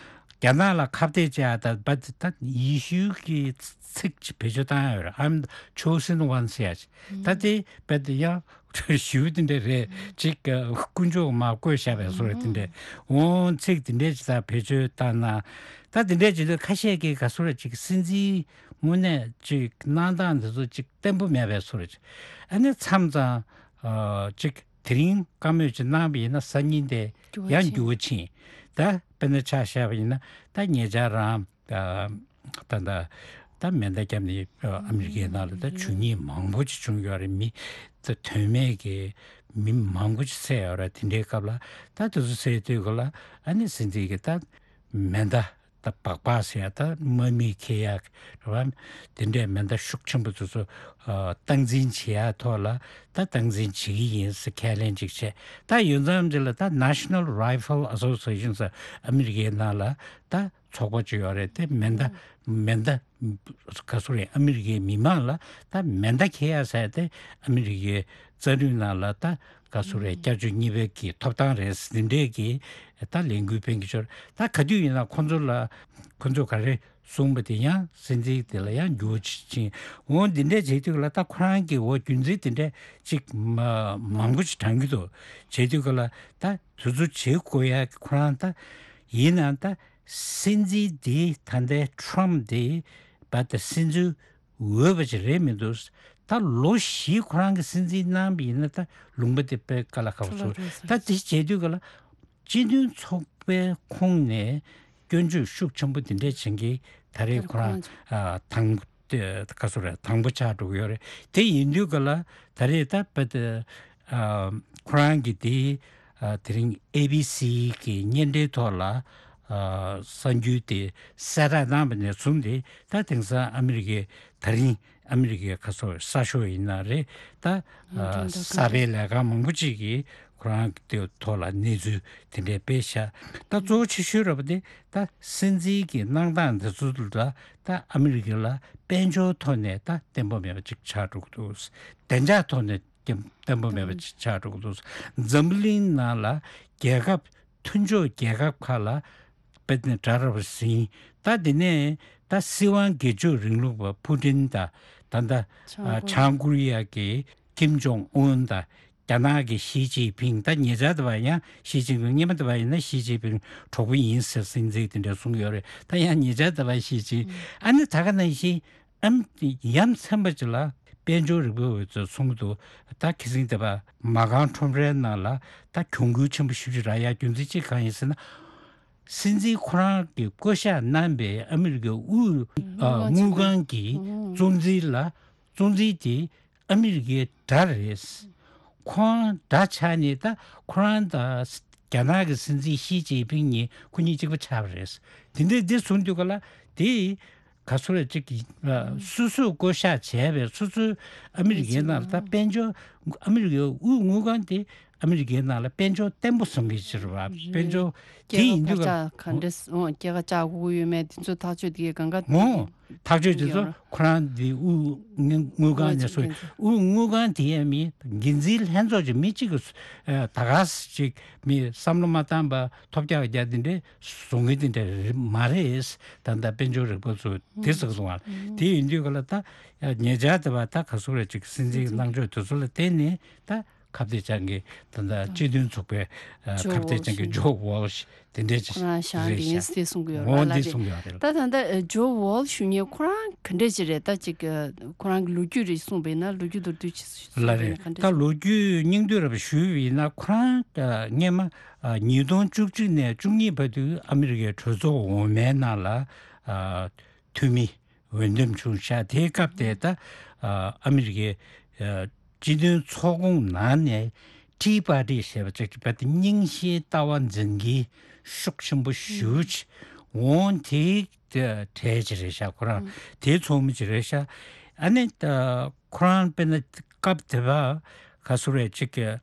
རྒྱ་ནག་ལ་ཁ་གཏད་བཅག་ད་བ་ད་ཡེ་ཤུ་གི་ཚིག་ཅིག་བེད་སྤྱོད་བཏང་ཡ་ཡོད་རེད། I'm the chosen one ཟེར་ཡ་ཅིག་ད་དེ་བ་ད་ཡང་ཞུ་དེ་འདྲ་རེད་ཅིག་དཀོན་མཆོག་མར་བཀོད་བཞག་པའི་བཟོ་འདྲ་དེ་འདྲ། འོང་ཚིག་དེ་འདྲ་ཅིག་ད་བེད་སྤྱོད་བཏང་ན། ད་དེ་འདྲ་ཅིག་ད་ཁ་ཤས་ཀྱིས་ག་ཟེར་རེད་ཅིག་སྲིད་འཛིན་དངོས་གནས་ཅིག་གནང་སྟངས་འདི་ཚོ་ཅིག་བརྟན་པོ་མེད་པའི་བཟོ་འདྲ་ཅིག་ཨ་ནི་མཚམས་མཚམས་ཨ་ཅིག་དེ་རིང་བཀའ་མོལ་ཅིག་གནང་བ་ཡིན་ན་སང་ཉིན་དེ་འགྱུར་བ་ཡང་ཕྱིན། འགྱུར་བ་ཕྱིན། ད་དཔེར་ན་ཆ་བཞག་པ་ཡིན་ན། ད་ཉེ་ཆར་རང་ད་ད་ད་མེ་མདའ་བརྒྱབ་ནས་ཨ་མི་རི་ཀའི་ནང་ལ་ད་ཇུས་ཉེས་མང་པོ་ཅིག་བྱུང་ཡོད་རེད། མི་ད་དོན་མེད་ཀྱི་མི་མང་པོ་ཅིག་བསད་ཡོད་རེད། དེ་འདྲའི་སྐབས་ལ་ད་དེ་ཚོ་བསད་དུས་ག་ལ་ཨ་ནི་སྲིད་འཛིན་གྱིས་ད་མེ་མདའ་ད་སྦག་སྦག་ཟེར་ཡ། ད་དམག་མིས་འཁྱེར་ཡ་རེད་བ། དེ་འདྲའི་མེ་མདའ་ཤུགས་ཆེན་པོ་དེ་ཚོ་ཨ་སྟངས་འཛིན་བྱེད་ཡ་ཐོག་ལ་ད་སྟངས་འཛིན་བྱེད་ཀྱི་ཡིན་ཟེར་ཁས་ལེན་ཅིག་བྱས། ད་ཡོད་མཚམས་ཅིག་ལ་ད་National Rifle Association ཟེར་ཨ་མི་རི་ཀའི་ནང་ལ་ད་ཚོགས་པ་ཅིག་ཡོད་རེད། དེ་མེ་མདའ་མེ་མདའ་ག་ཟེར་རེད། ཨ་མི་རི་ཀའི་མི་མང་ལ་ད་མེ་མདའ་འཁྱེར་ཡ་ཟེར་དེ་ཨ་མི་རི་ཀའི་རྩ་རུས་ནང་ལ་ད་ག་ཟེར་རེད། བསྐྱར་བཅོས་གཉིས་པའི་གི་ཐོབ་ཐང་རེད་ཟེར་འདི་འདྲས་ཀྱི་ད་ལས་འགུལ་སྤེལ་གྱི་ཆོག་ད་ག་དུས་ཡིན་ན་ཁོང་ཚོ་ལ་ཁོང་ཚོ་ག་རེ་གསུངས་པ་དེ་ཡང་སྲིད་འཛིན་དེ་ལ་ཡང་འགྱུར་བ་ཕྱིན། འོ་འདི་འདྲས་བྱེད་དུས་ལ་ད་ཁོ་རང་གི་འོ་རྒྱུ་མཚན་དེ་འདྲས་ཅིག་མ་མང་པོ་ཅིག་དྲངས་ཀྱི་འདུག་བྱེད་དུས་ག་ལ་ད་དེ་ཚོ་བྱེད་དགོས་ཡ་ཁོ་རང་ད་ཡིན་ན་ད་སྲིད་འཛིན་དེ་ད་ལྟའི་ཊམ་དེ་བ་ད་སྲིད་འཛིན་འོས་པ་ཅིག་རེད་མི་འདུག་ད་ལོ་བཞི་ཁོ་རང་གི་སྲིད་འཛིན་གནང་བ་ཡིན་ན་ད་ལུང་པ་དེ་དཔེ་དཀའ་ལས་ཁག་པོ་བཟོ། ད་དེ་བྱེད་དུས་ག་ལ་སྤྱི་མཐུན་ཚོགས་པའི་ཁོངས་ནས་སྐྱོན་བརྗོད་ཤུགས་ཆེན་པོ་དེ་འདྲས་བྱེད་མཁན་ད་རེས་ཁོ་རང་ཨ་དང་དེ་ག་ཟེར་རེད། དང་པོ་ཆགས་འགྲོ་གི་ཡོད་རེད། དེ་ཡིན་དུས་ག་ལ་ད་རེས་ད་དཔེ་དེ་ཨ་ཁོ་རང་གི་དེ་ཨ་དེ་རིང་ཨེ་བི་སི་གི་བརྙན་འཕྲིན་ཐོག་ལ་ཨ་གསར་འགྱུར་དེ་གསལ་བསྒྲགས་གནང་བ་ནས་བཟུང་སྟེ། ད་དེང་སང་ཨ་མི་རི་ཀའི་ད་རིང་ཨ་མི་རི་ཀའི་ག་ཟེར་གསར་ཤོག་ཡིན་ན་རེད། ད་ཨ་གསར་པའི་ལས་ཁང་མང་པོ་ཅིག་གིས་ཁོ་རང་གི་ཐོག་ལ་གནས་ཚུལ་དེ་འདྲས་སྤེལ་བཞག་ད་གཙོ་བོ་ཆེ་ཤོས་ར་བ་དེ་ད་སྲིད་འཛིན་གྱི་གནང་སྟངས་འདི་ཚོ་ལ་ད་ཨ་མི་རི་ཀ་ལ་དཔལ་འབྱོར་ཐོག་ནས་ད་བརྟན་པོ་མེད་པ་ཅིག་ཆགས་འགྲོ་གི་འདུག་བདེ་འཇགས་ཐོག་ནས་ཀྱང་བརྟན་པོ་མེད་པ་ཅིག་ཆགས་འགྲོ་གི་འདུག་འཛམ་བུ་གླིང་ནང་ལ་རྒྱལ་ཁབ་མཐུན་ཕྱོགས་རྒྱལ་ཁབ་ཁག་ལ་དཔེ་དེ་འདྲ་ར་བ་ཟིན། ད་དེ་ནས་ད་སྲིད་དབང་སྒེར་གཅོད་རིང་ལུགས་པ་ཕུ་ཏིན་དང་། ད་ལྟ་བྱང་ཨ་ཀོ་རི་ཡ། བྱང་ཀོ་རི་ཡ་གི་ཀིམ་ཇོང་ཨུན་དང་ རྒྱ་ནག་གི་ཞི་ཅིན་ཕིང་ད་ཉེ་ཆར་དུ་བ་ཡང་ཞི་ཅིན་ཕིང་སྔོན་མ་དུ་བ་ཡིན་ན་ཞི་ཅིན་ཕིང་གྲོགས་པོ་ཡིན་ཟེར་སྲིད་འཛིན་དེ་འདྲ་གསུངས་ཡོད་རེད། ད་ཡང་ཉེ་ཆར་དུ་བ་ཞི་ཅིན་ཨ་ནི་ད་ག་ནང་བཞིན་ཨམ་ཡ་མཚན་པ་ཅིག་ལ་དཔལ་འབྱོར་རིག་པའི་འོས་ཚོས་གསུང་གི་འདུག་ད་ཁ་སང་དེ་བ་མ་རྐང་ཁྲོམ་རའི་ནང་ལ་ད་གྱོང་གུན་ཆེན་པོ་ཞེ་པོ་ཅིག་རག་ཡ་རྒྱུ་མཚན་གཅིག་གང་ཡིན་ཟེར་ན། སྲིད་འཛིན་ཁོ་རང་གིས་བསྐོ་བཞག་གནང་པའི་ཨ་མི་རི་ཀའི་དབུས་ཨ་དངུལ་ཁང་གི་གཙོ་འཛིན་ལ་གཙོ་འཛིན་དེ་ཨ་མི་རི་ཀའི་དགྲ་རེད། ཁོང་དགྲ་ཆགས་ནས་ད་ཁོ་རང་དང་རྒྱ་ནག་གི་སྲིད་འཛིན་ཞི་ཅིན་ཕིང་གཉིས་ཁོ་གཉིས་གཅིག་པ་ཆགས་པ་རེད། དེ་འདྲའི་འདི་གསུངས་དུས་ག་ལ་དེ་ག་ཚོད་རེད་ཅིག་གི་ཨ་སོ་སོས་བསྐོ་བཞག་བྱས་པའི་སོ་སོའི་ཨ་མི་རི་ཀའི་ནང་ལ་ད་དཔལ་འབྱོར་ཨ་མི་རི་ཀའི་དབུས་དངུལ་ཁང་དེ་ཨ་མི་རི་ཀའི་ནང་ལ་དཔལ་འབྱོར་བརྟན་པོ་བཟོ་མཁན་ཅིག་རེད་བ། དཔལ་འབྱོར་དེ་ཡིན་དུས་སྐྱེད་ཀ་ཀ་ཁ་འདྲ་སྐྱེད་ཀ་བཅག་དགོས་ཡོད་མེད་དེ་ཚོ་ཐག་གཅོད་དེ་གང་ག་ངོ་ཐག་གཅོད་དེ་ཚོ་ཁོ་རང་དེ་དབུས་དངུལ་ཁང་ནས་སོ་དབུས་དངུལ་ཁང་དེ་ཡང་མི་འགན་འཛིན་ལྷན་ཚོགས་ཀྱི་མི་གཅིག་གི་ད་ག་ཅིག་མི་བསམ་བློ་མ་བཏང་པ་ཐོབ་རྒྱག་རྒྱག་དེ་འདྲའི་བཟོ་མཁན་དེ་འདྲ་མ་རེད། ད་ལྟ་དཔལ་འབྱོར་རིག་པ་ཚོ་དེ་ཟེར་གི་འདུག་བ། དེ་ཡིན་དུས་ག་ལ་ད་ཉེ་ཆར་དེ་བ་ད་ག་ཚོད་རེད་ཅིག་སྲིད་འཛིན་གནང་ཕྱོགས་དེ་ཚོ་ལ་བརྟེན་ནས་ད་ཁ་གཏད་གཅོག་མཁན་ད་ལྟ་སྤྱི་མཐུན་ཚོགས་པའི་ཨ་ཇོ་ཁ་གཏད་གཅོག་མཁན་ཇོ་ཝོལ་ཤི་དེ་འདྲས་ཅིག་ཁོ་རང་ཞང་རེད་དེ་ཤག་གསལ་གསུང་གི་ཡོད་རེད་ངོ་བ་ལ་འདི་རེད། གསུང་གི་ཡོད་རེད། ད་ད་ལྟ་ཨ་ཇོ་ཝོལ་ཤི་ཞུ་མཁན་ཁོ་རང་ག་འདྲས་ཅིག་རེད། ད་ཅིག་ཨ་ཁོ་རང་གི་ལོ་རྒྱུས་རེ་གསུངས་པ་ཡིན་ན་ལོ་རྒྱུས་མདོར་བསྡུས་ཅིག་གསུངས་ལ་པ་ཡིན་རེད། ན་ག་འདྲས། ད་ལོ་རྒྱུས་སྙིང་བསྡུས་རེ་ཞུས་པ་ཡིན་ན་ཁོ་རང་ཨ་སྔོན་མ་ཨ་ཉིས་སྟོང་བཅུ་གཅིག་ནས་བཅུ་གཉིས་བར་དུ་ཨ་མི་རི་ཀའི་གྲོས་ཚོགས་འོག་མའི་ནང་ལ་ཨ་འཐུས་མི་འོས་འདེམས་བྱུང་ཤག་དེའི་སྐབས་དེ་ད་ཨ་ཨ་མི་རི་ཀའི་ཨ་སྤྱི་མཐུན་ཚོགས་ཁོངས་ནང་ནས་ཊི་པར་ཊི་ཞེས་པ་ཅིག་རྦད་དེ་རྙིང་ཞེན་ལྟ་བ་འཛིན་མཁན་ཤུགས་ཆེན་པོ་ཞེ་པོ་ཅིག་འོང་། དེའི་གྲས་ཅིག་རེད་ཤག་ཁོ་རང་དེའི་ཚོགས་མི་ཅིག་རེད་ཤག་ཨ་ནི་ད་ཁོ་རང་དཔེར་ན་སྐབས་དེ་བ་ག་ཚོད་རེད་ཅིག་གི་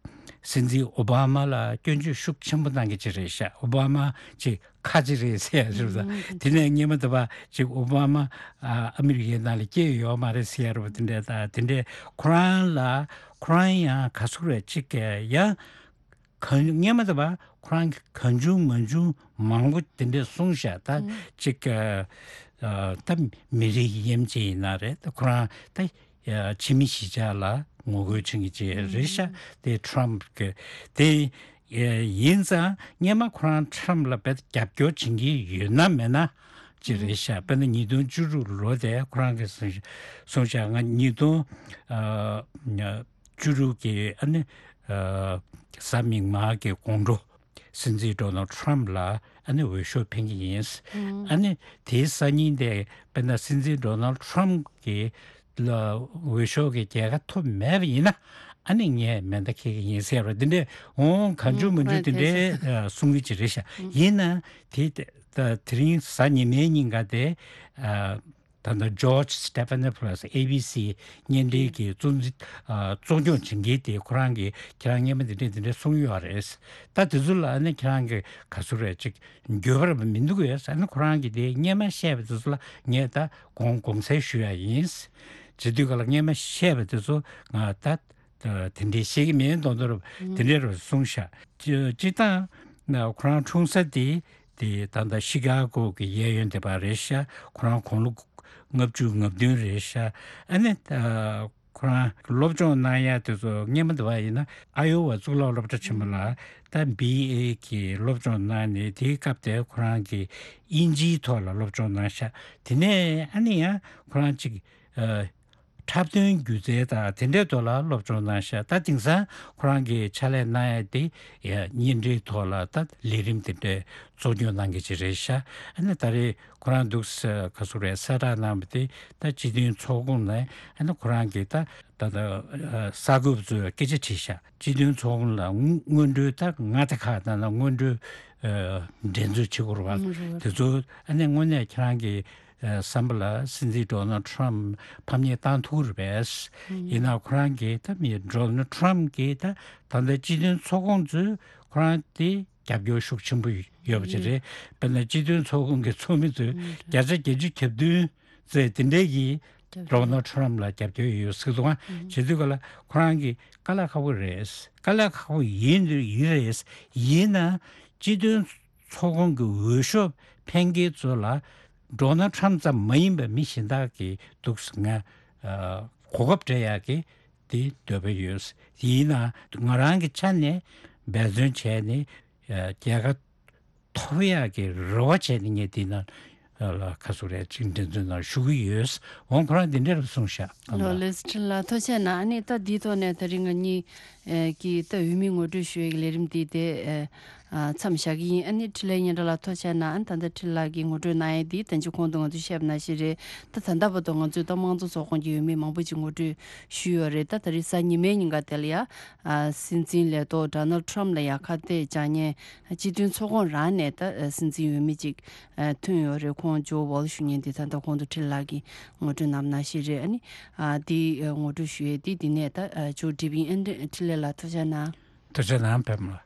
སྲིད་འཛིན་ཨོ་བྷ་མ་ལ་སྐྱོན་བརྗོད་ཤུགས་ཆེན་པོ་གནང་མཁན་ཅིག་རེད་ཤག་ཨོ་བྷ་མ་ཅིག་ཁ་ཅིག་རེད་ཟེར་ཡ་རེད་ད། དེ་ནས་སྔོན་མ་དེ་བ་ཅིག་ཨོ་བྷ་མ་ཨ་ཨ་མི་རི་ཀའི་ནང་ལ་སྐྱེས་ཡོད་མ་རེད་ཟེར་ཡ་རེད་བ། དེ་འདྲས་ད་དེ་འདྲས་ཁོ་རང་ལ་ཁོ་རང་ཡང་ག་ཚོད་རེད་ཅིག་གི་ཡང་གང་སྔོན་མ་དེ་བ་ཁོ་རང་གི་གང་བྱུང་མང་བྱུང་མང་པོ་དེ་འདྲས་གསུངས་ཤག་ད་ཅིག་གི་ཨ་ད་མི་རིགས་དབྱེ་འབྱེད་ཡིན་ན་རེད། ད་ཁོ་རང་ད་ཕྱི་མི་གཞིས་ཆགས་ལ་ངོ་རྒོལ་བྱེད་མཁན་ཅིག་རེད་ཤག་དེ་ཊམ་གི་དེ་ཡིན་ཙང་སྔོན་མ་ཁོ་རང་ཊམ་ལ་རྦད་རྒྱབ་སྐྱོར་བྱེད་མཁན་ཡོད་ན་མེད་ན་ཅིག་རེད་ཤག་དཔེར་ན་ཉིས་སྟོང་བཅུ་དྲུག་ལོ་དེ་ཁོ་རང་གིས་གསུངས་ཤག་ང་ཉིས་སྟོང་བཅུ་དྲུག་གི་ཨ་ནི་གཟའ་མིག་དམར་གྱི་དགོང་དྲོ་སྲིད་འཛིན་ཌོ་ནལ་ཊམ་ལ་ཨ་ནི་འོས་ཤོག་འཕེན་གྱི་ཡིན། ཨ་ནི་དེའི་སང་ཉིན་དེ་དཔེར་ན་སྲིད་འཛིན་ཌོ་ནལ་ཊམ་གྱི་ལ་འོས་ཤོག་གི་རྒྱལ་ཁ་ཐོབ་མེད་པ་ཡིན་ན་ཨ་ནི་ངས་མེ་མདའ་འཁྱེར་གྱི་ཡིན་ཟེར་བ་འདི་འདྲས་འོང་གང་བྱུང་མང་བྱུང་དེ་འདྲས་གསུང་གི་ཅིག་རེད་ཤག་ཡིན་ན་དེ་དེ་རིང་གཟའ་ཉི་མའི་ཉིན་ག་དེ་ད་ལྟ་ཇོརྗ་སི་ཊེ་ཕ་ནི་ཕོ་ལོ་སི་ཨེ་བི་སི་བརྙན་འཕྲིན་གྱི་གཙོ་འཛིན་གཙོ་སྐྱོང་བྱེད་མཁན་དེ་ཁོ་རང་གིས་ཁྱེད་རང་སྔོན་མ་འདི་འདྲས་འདི་འདྲས་གསུངས་ཡོད་རེད། ད་དེ་ཚོ་ལ་ཨ་ནི་ཁྱེད་རང་གིས་ག་ཚོད་རེད་ཅིག་འགྱོད་པ་ར་མི་འདུག་གས། ཨ་ནི་ཁོ་རང་གིས་དེ་སྔོན་མ་བཤད་པ་དེ་ཚོ་ལ་ངས་ད་དགོངས་དགོངས་སེལ་ཞུ་ཡ་ཡིན། བྱེད་དུས་ག་ལ་སྔོན་མ་བཤད་པ་དེ་ཚོ་ང་ད་དེ་འདྲས་བཤད་ཀྱི་མིན་མདོག་མདོག་ར་དེ་འདྲས་ར་གསུངས་ཤག་སྤྱིར་བཏང་ཁོ་རང་འཁྲུངས་ས་དེ་དེ་ད་ལྟ་ཤི་ཀ་གོ་གི་གཡས་གཡོན་དེ་པ་རེད་ཤག་ཁོ་རང་དགུང་ལོ་ལྔ་བཅུ་ང་བདུན་རེད་ཤག་ཨ་ནི་ཁོ་རང་སློབ་སྦྱོང་གནང་ཡ་དེ་ཚོ་སྔོན་མ་དེ་བ་ཡིན་ན་ཨ་ཡོ་ཝ་གཙུག་ལག་སློབ་གྲྭ་ཆེན་མོ་ལ་ད་བི་ཨེ་གི་སློབ་སྦྱོང་གནང་ནས་དེའི་སྐབས་དེ་ཁོ་རང་གིས་དབྱིན་ཇིའི་ཐོག་ལ་སློབ་སྦྱོང་གནང་ཤག་དེ་ནས་ཨ་ནི་ཡང་ཁོ་རང་ཅིག་ཨ་འཁྲབ་སྟོན་སྒྱུ་རྩལ་དང་དེ་འདྲའི་ཐོག་ལ་སློབ་སྦྱོང་གནང་ཤག་ད་དེང་སང་ཁོ་རང་གིས་ཕྱག་ལས་གནང་ཡ་དེ་ཡ་བརྙན་འཕྲིན་ཐོག་ལ་ད་ལས་རིམ་དེ་འདྲའི་གཙོ་སྐྱོང་གནང་མཁན་ཅིག་རེད་ཤག་ཨ་ནི་ད་རེས་ཁོ་རང་འདུག་ས་ག་ཚོད་རེད་གསལ་བསྒྲགས་གནང་བ་དེ་ད་སྤྱི་མཐུན་ཚོགས་ཁོངས་ནས་ཨ་ནི་ཁོ་རང་གིས་ད་ད་ད་གསར་འགོད་པ་ཚོས་སྐད་ཆ་དྲིས་ཤག་སྤྱི་མཐུན་ཚོགས་ཁོངས་ལ་སྔོན་འགྲོའི་ད་མངའ་སྡེ་ཁག་ནང་ལ་སྔོན་འགྲོའི་འགྲན་རྩོད་བྱེད་དགོས་རེད་བ། དེ་ཚོ་ཨ་ནི་དངོས་གནས་ཁྱེད་རང་གི་བསམ་པ་ལ་སྲིད་འཛིན་ཌོ་ནལ་ཊམ་ཕམ་ཉེས་བཏང་ཐུབ་རེད་པས། ཡིན་ན་ཁོ་རང་གིས་ད་མི་ཌོ་ནལ་ཊམ་གིས་ད་ད་ལྟ་སྤྱི་མཐུན་ཚོགས་ཁོངས་ཚོས་ཁོ་རང་དེ་རྒྱབ་སྐྱོར་ཤུགས་ཆེན་པོ་ཡོད་པ་ཅིག་རེད། དཔེར་ན་སྤྱི་མཐུན་ཚོགས་ཁོངས་ཀྱི་ཚོགས་མི་ཚོས་བརྒྱ་ཆ་བརྒྱད་ཅུ་གྱ་བདུན་ཙམ་དེ་འདྲས་ཀྱིས་ཌོ་ནལ་ཊམ་ལ་རྒྱབ་སྐྱོར་ཡོད་ཟེར་འདུག་ག་བྱེད་དུས་ག་ལ་ཁོ་རང་གིས་དཀའ་ལས་ཁག་པོ་རེད། དཀའ་ལས་ཁག་པོ་ཡིན་ཡིན་རེད། ཡིན་ན་སྤྱི་མཐུན་ཚོགས་ཁོངས་ཀྱི་འོས་ཤོག་འཕེན་མཁན་ཚོ་ལ་ཌོ་ནལ་ཊམ་ཙམ་མ་ཡིན་པའི་མི་གཞན་དག་གིས་འདུག་སེ་ང་གོ་སྐབས་སྤྲད་ཡག་གི་ དེ་འདོད་པ་ཡོད། ཡིན་ན་ང་རང་གི་ཆ་ནས་འབད་བརྩོན་བྱས་ནས་ཨ་རྒྱལ་ཁ་ཐོབ་ཡག་གི་རེ་བ་བྱས་ནས་ངས་འདི་ན་ལ་ཁ་སུ་རེད་ཅིག་འགྲན་རྩོད་ནང་ཞུགས་ཀྱི་ཡོད། འོང་ཁོ་རང་འདི་འདྲ་ལ་གསུངས་ཤག་ལགས་ལགས། ལགས་ལགས། ཁྲིན་ལགས་ཐུགས་རྗེ་གནང་། ཨ་ནི་ད་འདིའི་ཐོག་ནས་ད་རིང་ང་གཉིས་ཀྱིས་ད་འོས་མི་ངོ་སྤྲོད་ཞུ་ཡག་གི་ལས་རིམ་འདི་དེ་མཚམས་བཞག་གི་ཡིན། ཨ་ནི་འཕྲིན་ལས་སྙན་གྲགས་ལགས་ཐུགས་རྗེ་གནང་། ཨ་ནི་ད་ལྟ་འཕྲིན་ལགས་ཀྱིས་ངོ་སྤྲོད་གནང་ཡག་འདི་ད་ཅི་གོང་དུ་ང་ཚོས་བཤད་པ་ནང་བཞིན་རེད། ད་ད་ལྟ་བར་དུ་ང་ཚོས་ད་དམངས་གཙོ་ཚོགས་ཁོངས་ཀྱི་འོས་མི་མང་པོ་ཅིག་ངོ་སྤྲོད་ཞུས་ཡོད་རེད། ད་ད་རེས་གཟའ་ཉི་མའི་ཉིན་ཀ་དེ་ལ་ཡ་སྲིད་འཛིན་ལས་ཐོག་ཌོ་ནལ་ཊམ་ལ་ཡ་ཁ་གཏད་བཅག་མཁན་སྤྱི་མཐུན་ཚོགས་ཁོངས་རང་ནས་ད་སྲིད་འཛིན་འོས་མི་ཅིག་ཐོན་ཡོད་རེད། ཁོང་ཇོ་ཝོལ་ཞུ་མཁན་དེ་ད་ལྟ་གོང་དུ་འཕྲིན་ལགས་ཀྱིས་ངོ་སྤྲོད་གནང་བ་ནང་བཞིན་རེད། ཨ་ནི་དེ་ངོ་སྤྲོད་ཞུ་ཡས་དེ་འདི་ནས་ད་མཇུག་སྒྲིལ་བ་ཡིན། ཨ་ནི་འཕྲིན་ལས་ལགས་ཐུགས་རྗེ་གནང་། ཐུགས་རྗེ་གནང་པད་མ་ལགས།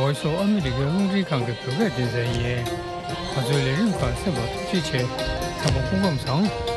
འོས་སུ་ཨ་མི་རི་ཀའི་རླུང་འཕྲིན་ཁང་གི་བོད་སྐད་སྡེ་ཚན་ཡིན། ང་ཚོའི་ལས་རིམ་ཁག་གསན་པར་ཐུགས་རྗེ་ཆེ། ཚང་མ་སྐུ་ཁམས་བཟང་།